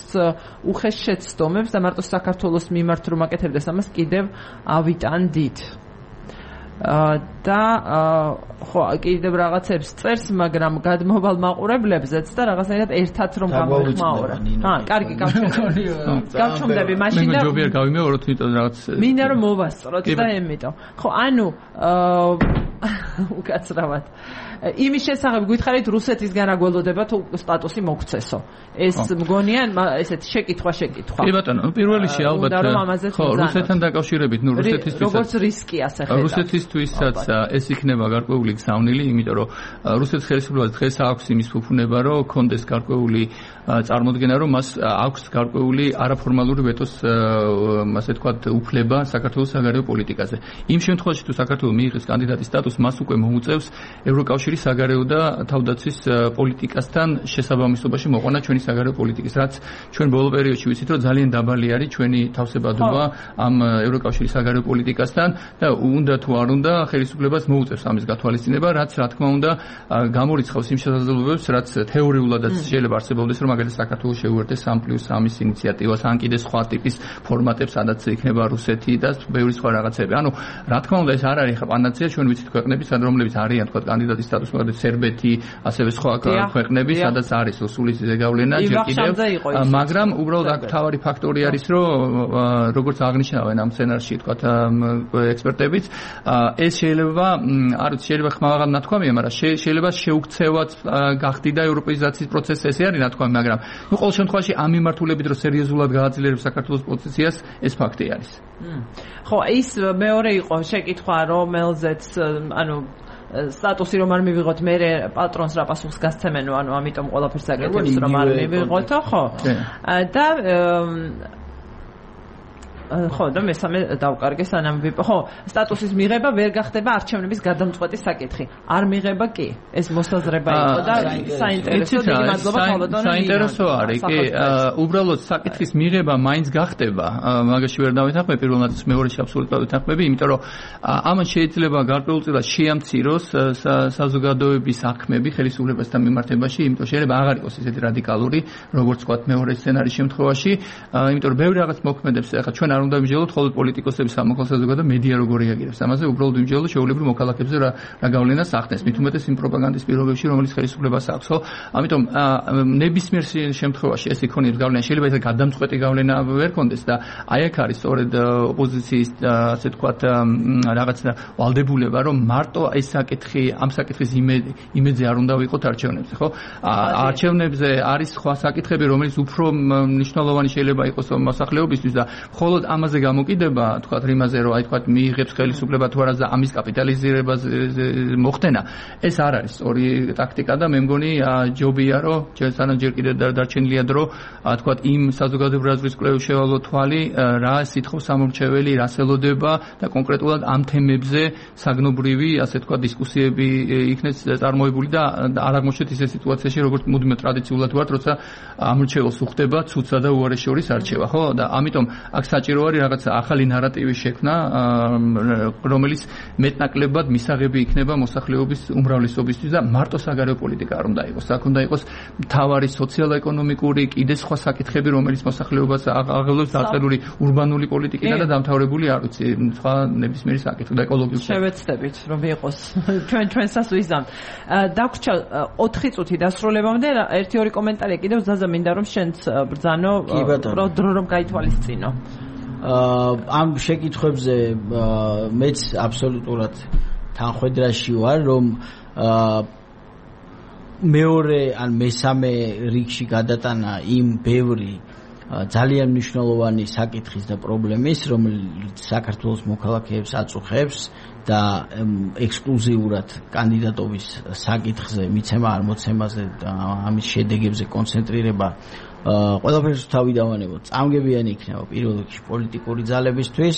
უხეშ შეცდომებს და მარტო საქართველოს მიმართ რომ აკეთებდეს ამას კიდევ ავიტანდით და ხო კიდევ რაღაცებს წერს მაგრამ გადმოვალ მაყურებლებზეც და რაღაცნაირად ერთად რომ გამოიხმაურა კარგი გავჩუმდები მაშინ და ჯობია გავიმეოროთ იმიტომ რაღაც მინდა რომ მოვასწროთ და ემიტომ ხო ანუ უკაცრავად იმის შესახებ გითხარით რუსეთისგან რა გველოდება თუ სტატუსი მოგცესო ეს მგონია ესეთ შეკითხვა კი ბატონო პირველ რიგში ალბათ ხო რუსეთთან დაკავშირებით ნუ რუსეთისთვის როგორც რისკი ასე ხედავ რუსეთისთვისაც ეს იქნება გარკვეული გზავნილი იმიტომ რომ რუსეთის ხელისუფლებას დღეს აქვს იმის ფუფუნება რომ კონდეს გარკვეული წარმოდგენა რომ მას აქვს გარკვეული არაფორმალური ვეტოს ასე ვთქვათ უფლება საქართველოს საგარეო პოლიტიკაზე იმ შემთხვევაში თუ საქართველოს მიიღეს კანდიდატის სტატუსს მას უკვე მოუწევს ევროკავშირის საგარეო და თავდაცვის პოლიტიკასთან შესაბამისობაში მოყვანა ჩვენი საგარეო პოლიტიკის რაც ჩვენ ბოლო პერიოდში ვიცით რომ ძალიან დაბალი არის ჩვენი თავსებადობა ამ ევროკავშირის საგარეო პოლიტიკასთან და უნდა თუ არ უნდა ხელისუფლებას მოუწევს ამის გათვალისწინება რაც რა თქმა უნდა გამორიცხავს იმ შესაძლებლობებს რაც თეორიულადაც შეიძლება არსებობდეს რომ მაგალითად საქართველოს შეუერთდეს 3+3-ის ინიციატივას ან კიდე სხვა ტიპის ფორმატებს სადაც იქნება რუსეთი და ბევრი სხვა რაღაცები ანუ რა თქმა უნდა ეს არ არის ხა პანაცეა ჩვენ ვიცით ქვეყნები სად რომლებიც არიან თქვა კანდიდატის სტატუსი მაგალითად სერბეთი ასევე სხვა ქვეყნები სადაც არის სულის ზეგავლენა ჯერ კიდევ მაგრამ უბრალოდ აქ თავარი ფაქტორი არის რომ როგორც აღნიშნავენ ამ სცენარში თქვა ექსპერტებიც ეს შეიძლება არ ვიცი შეიძლება ხმაღალ ნათქვამია მაგრამ შეიძლება შეუქცევად გახდიდა ევროპეიზაციის პროცესი ესე არის ნათქვამი მაგრამ ნუ ყოველ შემთხვევაში ამ მიმართულებით რომ სერიოზულად გააძლიერებს საქართველოს პოზიციას ეს ფაქტი არის ხო ის მეორე იყო შეკითხვა რომელზეც ანუ სტატუსი რომ არ მივიღოთ, მე პატრონს რა პასუხს გასცემენო, ანუ ამიტომ ყველაფერს აკეთებს რომ არ მივიღოთო, ხო? და ხო და მესამე დავკარგე სანამ ხო სტატუსის მიღება ვერ გახდება არჩევნების გადამწყვეტი საკითხი. არ მიღება კი. ეს მოსაზრება იყო და საინტერესო დიდი მადლობა ხოლოდონ. საინტერესო არის კი უბრალოდ საკითხის მიღება მაინც გახდება. მაგაში ვერ დავეთანხმები პირველად მეორეში აბსოლუტურად ვეთანხმები, იმიტომ რომ ამან შეიძლება გარკვეულწილად შეამციროს საზოგადოების საქმეები ხელისუფლებასთან მიმართებაში, იმიტომ შეიძლება აღარ იყოს ესეთი რადიკალური, როგორც ვთქვათ მეორე სცენარის შემთხვევაში, იმიტომ რომ ბევრი რაღაც მოქმედებს ახლა ჩვენ არ უნდა ვიმსჯელოთ ხოლმე პოლიტიკოსების სამოქალაქო საზოგადოება მედია როგორ რეაგირებს. ამაზე უბრალოდ ვიმსჯელოთ შეულებრივ მოქალაქეებზე რა გავლენას ახდენს. მით უმეტეს იმ პროპაგანდის პირობებში, რომელიც ხელისუფლებას აქვს, ხო? ამიტომ ნებისმიერ შემთხვევაში ეს იქონიებს გავლენა, შეიძლება ეს გადამწყვეტი გავლენა ვერ კონდეს და აი აქ არის სწორედ ოპოზიციის ასე თქვათ რაღაც ვალდებულება, რომ მარტო ეს საკითხი, ამ საკითხის იმედზე არ უნდა ვიყოთ არჩევნებზე, ხო? არჩევნებზე არის სხვა საკითხები, რომელიც უფრო მნიშვნელოვანი შეიძლება იყოს მოსახლეობისთვის და მხოლოდ ამაზე გამოკიდება, თქვათ რიმაზე, რომ აი თქვათ მიიღებს ხელისუფლება თუ არა და ამის კაპიტალიზირებას მოხდენა, ეს არ არის სწორი ტაქტიკა და მე მგონი ჯობია, რომ ჯერ კიდევ დარჩენილია დრო, თქვათ იმ საზოგადოებრივ კვლევის შევალო თვალი, რა სითხოვს სამორჩეველი, რას ელოდება და კონკრეტულად ამ თემებზე საგნობრივი, ასე თქვათ, დისკუსიები იქნეს წარმოებული და არ აღმოჩნდეთ ისე სიტუაციაში, როგორც მუდმივ ტრადიციულად ვართ, როცა ამორჩეველს უხდება ცუცა და უარეს შორის არჩევა, ხო? და ამიტომ აქ საჭირო არის რაღაც ახალი ნარატივის შექმნა, რომელიც მეტნაკლებად მისაღები იქნება მოსახლეობის უმრავლესობისთვის და მარტო საგარეო პოლიტიკა არ უნდა იყოს. აქ უნდა იყოს მთავარი სოციალურ-ეკონომიკური, კიდე სხვა საკითხები, რომელიც მოსახლეობას აღელვებს დაწყებული ურბანული პოლიტიკიდან და დამთავრებული არ ვიცი, სხვა ნებისმიერი საკითხი და ეკოლოგიური. შევეცდებით, რომ იყოს ჩვენსაც ვიზამ. დაგვრჩა 4 წუთი დასრულებამდე, 1-2 კომენტარი კიდევ ზაზა მინდა რომ შენც ბრძანო, დრო რომ გაითვალისწინო. ამ შეკითხვებზე მეც აბსოლუტურად თანხვედრაში ვარ, რომ მეორე ან მესამე რიგში გადატანა იმ ბევრი ძალიან მნიშვნელოვანი საკითხის და პრობლემის, რომელიც საქართველოს მოქალაქეებს აწუხებს და ექსკლუზიურად კანდიდატობის საკითხზე, მიცემა არ მოცემაზე და ამის შედეგებზე კონცენტრირება ყველაფერს თავი დავანებოთ. წამგებიანი იქნება პირველ რიგში პოლიტიკური ძალებისთვის.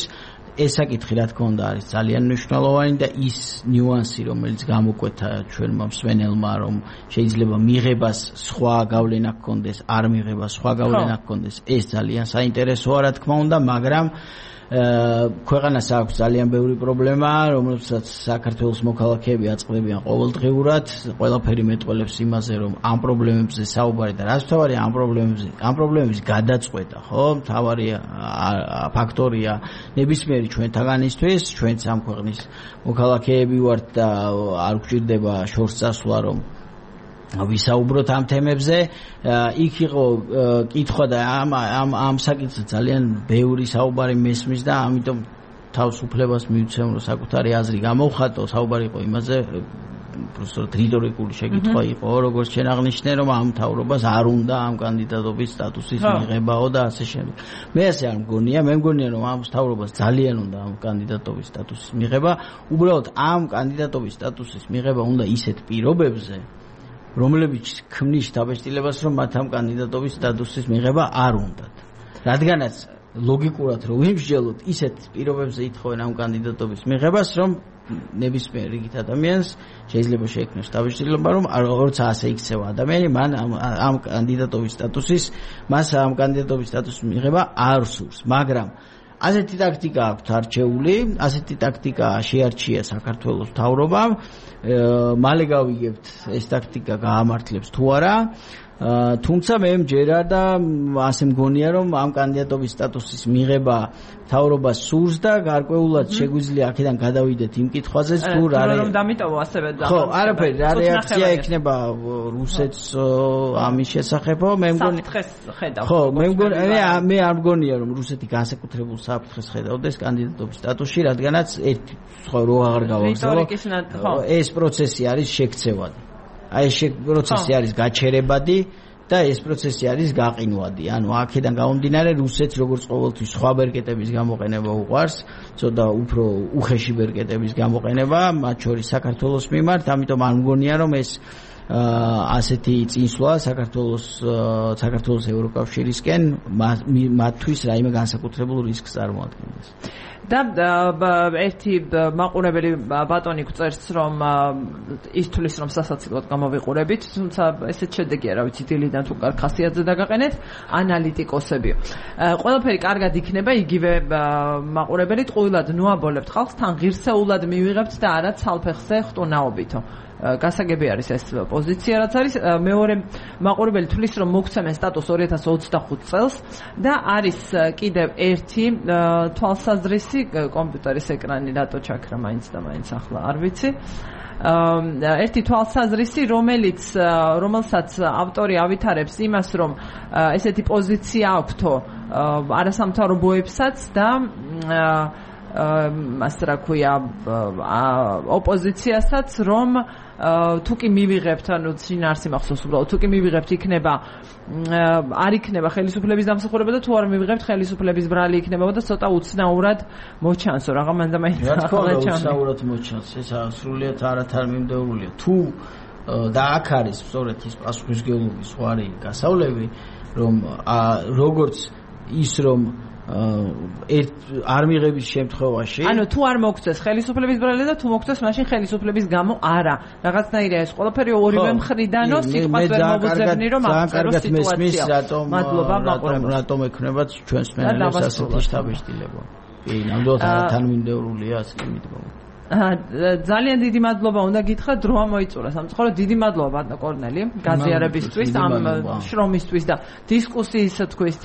ეს საკითხი რა თქმა უნდა არის ძალიან მნიშვნელოვანი და ის ნიუანსი, რომელიც გამოკვეთა ჩვენმა მსმენელმა, რომ შეიძლება მიღებას სხვა გავლენა ჰქონდეს, არ მიღებას სხვა გავლენა ჰქონდეს, ეს ძალიან საინტერესოა რა თქმა უნდა, მაგრამ ქვეყანას აქვს ძალიან ბევრი პრობლემა, რომელსაც საქართველოს მოქალაქეები აწყდებიან ყოველდღიურად. ყველაფერი მეტყველებს იმაზე, რომ ამ პრობლემებზე საუბარი და რაც მთავარია ამ პრობლემების გადაწყვეტა, ხო? მთავარი ფაქტორია ნებისმიერი ჩვენთაგანისთვის, ჩვენც ამ ქვეყნის მოქალაქეები ვართ და არ გვჭირდება შორს წასვლა, რომ ვისაუბროთ ამ თემებზე. იქ იყო კითხვა და ამ საკითხზე ძალიან ბევრი საუბარი მესმის და ამიტომ თავს უფლებას მივცემ, რომ საკუთარი აზრი გამოვხატო. საუბარი იყო იმაზე, უბრალოდ რიტორიკული შეკითხვა იყო, როგორც შენ აღნიშნე, რომ ამ მთავრობას არ უნდა ამ კანდიდატობის სტატუსის მიღებაო და ასე შემდეგ. მე ასე არ მგონია, მე მგონია, რომ ამ მთავრობას ძალიან უნდა ამ კანდიდატობის სტატუსის მიღება. უბრალოდ ამ კანდიდატობის სტატუსის მიღება უნდა ისეთ პირობებზე, რომლებიც ქმნის დაბეჭდილებას, რომ მათ ამ კანდიდატობის სტატუსის მიღება არ უნდათ. რადგანაც ლოგიკურად რომ ვიმსჯელოთ, ისეთ პირობებზე ითხოვენ ამ კანდიდატობის მიღებას, რომ ნებისმიერ რიგით ადამიანს შეიძლება შეექმნას დაბეჭდილება, რომ როცა ასე იქცევა ადამიანი, მან ამ კანდიდატობის სტატუსის მიღება არ სურს, მაგრამ ასეთი ტაქტიკა აქვს არჩეული, ასეთი ტაქტიკა შეარჩია საქართველოს მთავრობამ. მალე გავიგებთ ეს ტაქტიკა გაამართლებს თუ არა. თუმცა მე მჯერა და ასე მგონია, რომ ამ კანდიდატობის სტატუსის მიღება მთავრობას სურს და გარკვეულად შეგვიძლია აქედან გადავიდეთ იმ კითხვაზე, თუ რა რომ დამიტოვო ასევე და ხო, არაფერი, რა რეაქცია იქნება რუსეთს ამის შესახებო, მე მგონი ხო, მე არ მგონია, რომ რუსეთი განსაკუთრებულ საფრთხეს ხედავდეს კანდიდატობის სტატუსში, რადგანაც ერთი სხვა რო აღარ გავაგზავნო, ეს პროცესი არის შექცევადი. აი ეს პროცესი არის გაჩერებადი და ეს პროცესი არის გაყინვადი. ანუ აქედან გამომდინარე რუსეთს როგორც ყოველთვის სხვა ბერკეტების გამოყენება უყვარს, ცოტა უფრო უხეში ბერკეტების გამოყენება, მათ შორის საქართველოს მიმართ, ამიტომ არ მგონია რომ ეს ასეთი წინსვლა საქართველოს ევროკავშირისკენ მათთვის რაიმე განსაკუთრებულ რისკს წარმოადგენს. და ერთი მაყურებელი ბატონი გვწერს რომ ის თulis რომ სასაცილოდ გამოვიყურებით, თუმცა ესეც შედეგია, რა ვიცი, დილიდან თუ კარგ ხასიათზე დაგაყენეთ ანალიტიკოსებიო. ყველაფერი კარგად იქნება, იგივე მაყურებელი ტყუილად ნუაბოლებთ ხალხს, თან ღირსეულად მივიღებთ და არა ცალფეხზე ხტუნაობითო. გასაგები არის ეს პოზიცია, რაც არის. მეორე მაყურებელი თulis რომ მოგცემენ სტატუს 2025 წელს და არის კიდევ ერთი თვალსაზრისი კომპიუტერის ეკრანი რატო ჩაქრა მაინც და მაინც ახლა არ ვიცი. ერთი თვალსაზრისი, რომელსაც ავტორი ავითარებს იმას, რომ ესეთი პოზიცია აქვთო არასამთავრობოებსაც და მას რა ქვია ოპოზიციასაც, რომ თუ კი მივიღებთ, ანუ შინაარსი მახსოვს უბრალოდ, თუ კი მივიღებთ იქნება არ იქნება ხელისუფლების დამსახურება და თუ არ მივიღებთ ხელისუფლების ბრალი იქნება და ცოტა უცნაურად მოჩანსო რაღა მანდამაინც ახლა ჩანს. უცნაურად მოჩანს, ეს სრულიად არათანმიმდევრულია. თუ და აქ არის სწორედ ის პასუხისმგებლობის ზღვარი გასავლები, რომ როგორც ის რომ არ მიღების შემთხვევაში, ანუ თუ არ მოგწეს ხელისუფლების ბრალი და თუ მოგწეს მაშინ ხელისუფლების გამო არა. რაღაცნაირია ეს ყველაფერი ორივე მხრიდანო სიტყვას ვერ მოგუძებნი რომ აღწერო სიტუაცია. მადლობა მაყურებელს. რატომ ექნებათ ჩვენს მენელებს ასეთი შთაბეჭდილება. კი, ნამდვილად თანმიმდევრულია ასე მიდგომა. ძალიან დიდი მადლობა უნდა გითხრათ, დრო ამოიწურა სამწუხარო. დიდი მადლობა ბატონო კორნელი გაზიარებისთვის, ამ შრომისთვის და დისკუსიის თქვის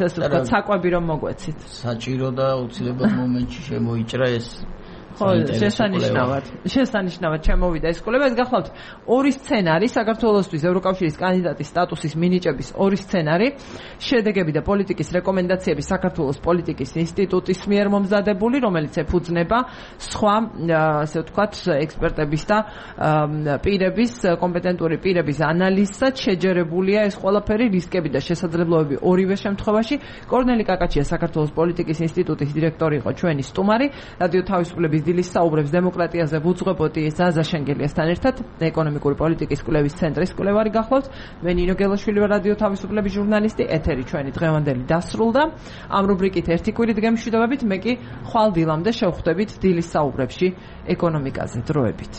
საკვები რომ მოგვეცით. საჭირო და უცილებლად მომენტში შემოიჭრა ეს. ხო, შესანიშნავად შემოვიდა ეს კვლევა. ეს გახლავთ ორი სცენარი, საქართველოსთვის ევროკავშირის კანდიდატის სტატუსის მინიჭების ორი სცენარი, შედეგები და პოლიტიკის რეკომენდაციები საქართველოს პოლიტიკის ინსტიტუტის მიერ მომზადებული, რომელიც ეფუძნება სხვა, ასე ვთქვათ, ექსპერტების და პირების, კომპეტენტური პირების ანალიზსაც. შეჯერებულია ეს ყველაფერი, რისკები და შესაძლებლობები ორივე შემთხვევაში. კორნელი კაკაჩია საქართველოს პოლიტიკის ინსტიტუტის დირექტორი იყო ჩვენი სტუმარი. რადიო თავისუფლების დილის საუბრებს დემოკრატიაზე ვუძღვებოდი ზაზა შენგელიასთან ერთად, ეკონომიკური პოლიტიკის კვლევის ცენტრის კვლევარი გახლავთ. მე ნინო გელაშვილი ვარ, რადიო თავისუფლების ჟურნალისტი. ეთერი ჩვენი დღევანდელი დასრულდა. ამ რუბრიკით ერთი კვირით გემშვიდობებით, მე კი ხვალ დილამდე შევხვდებით დილის საუბრებში ეკონომიკაზე. დროებით.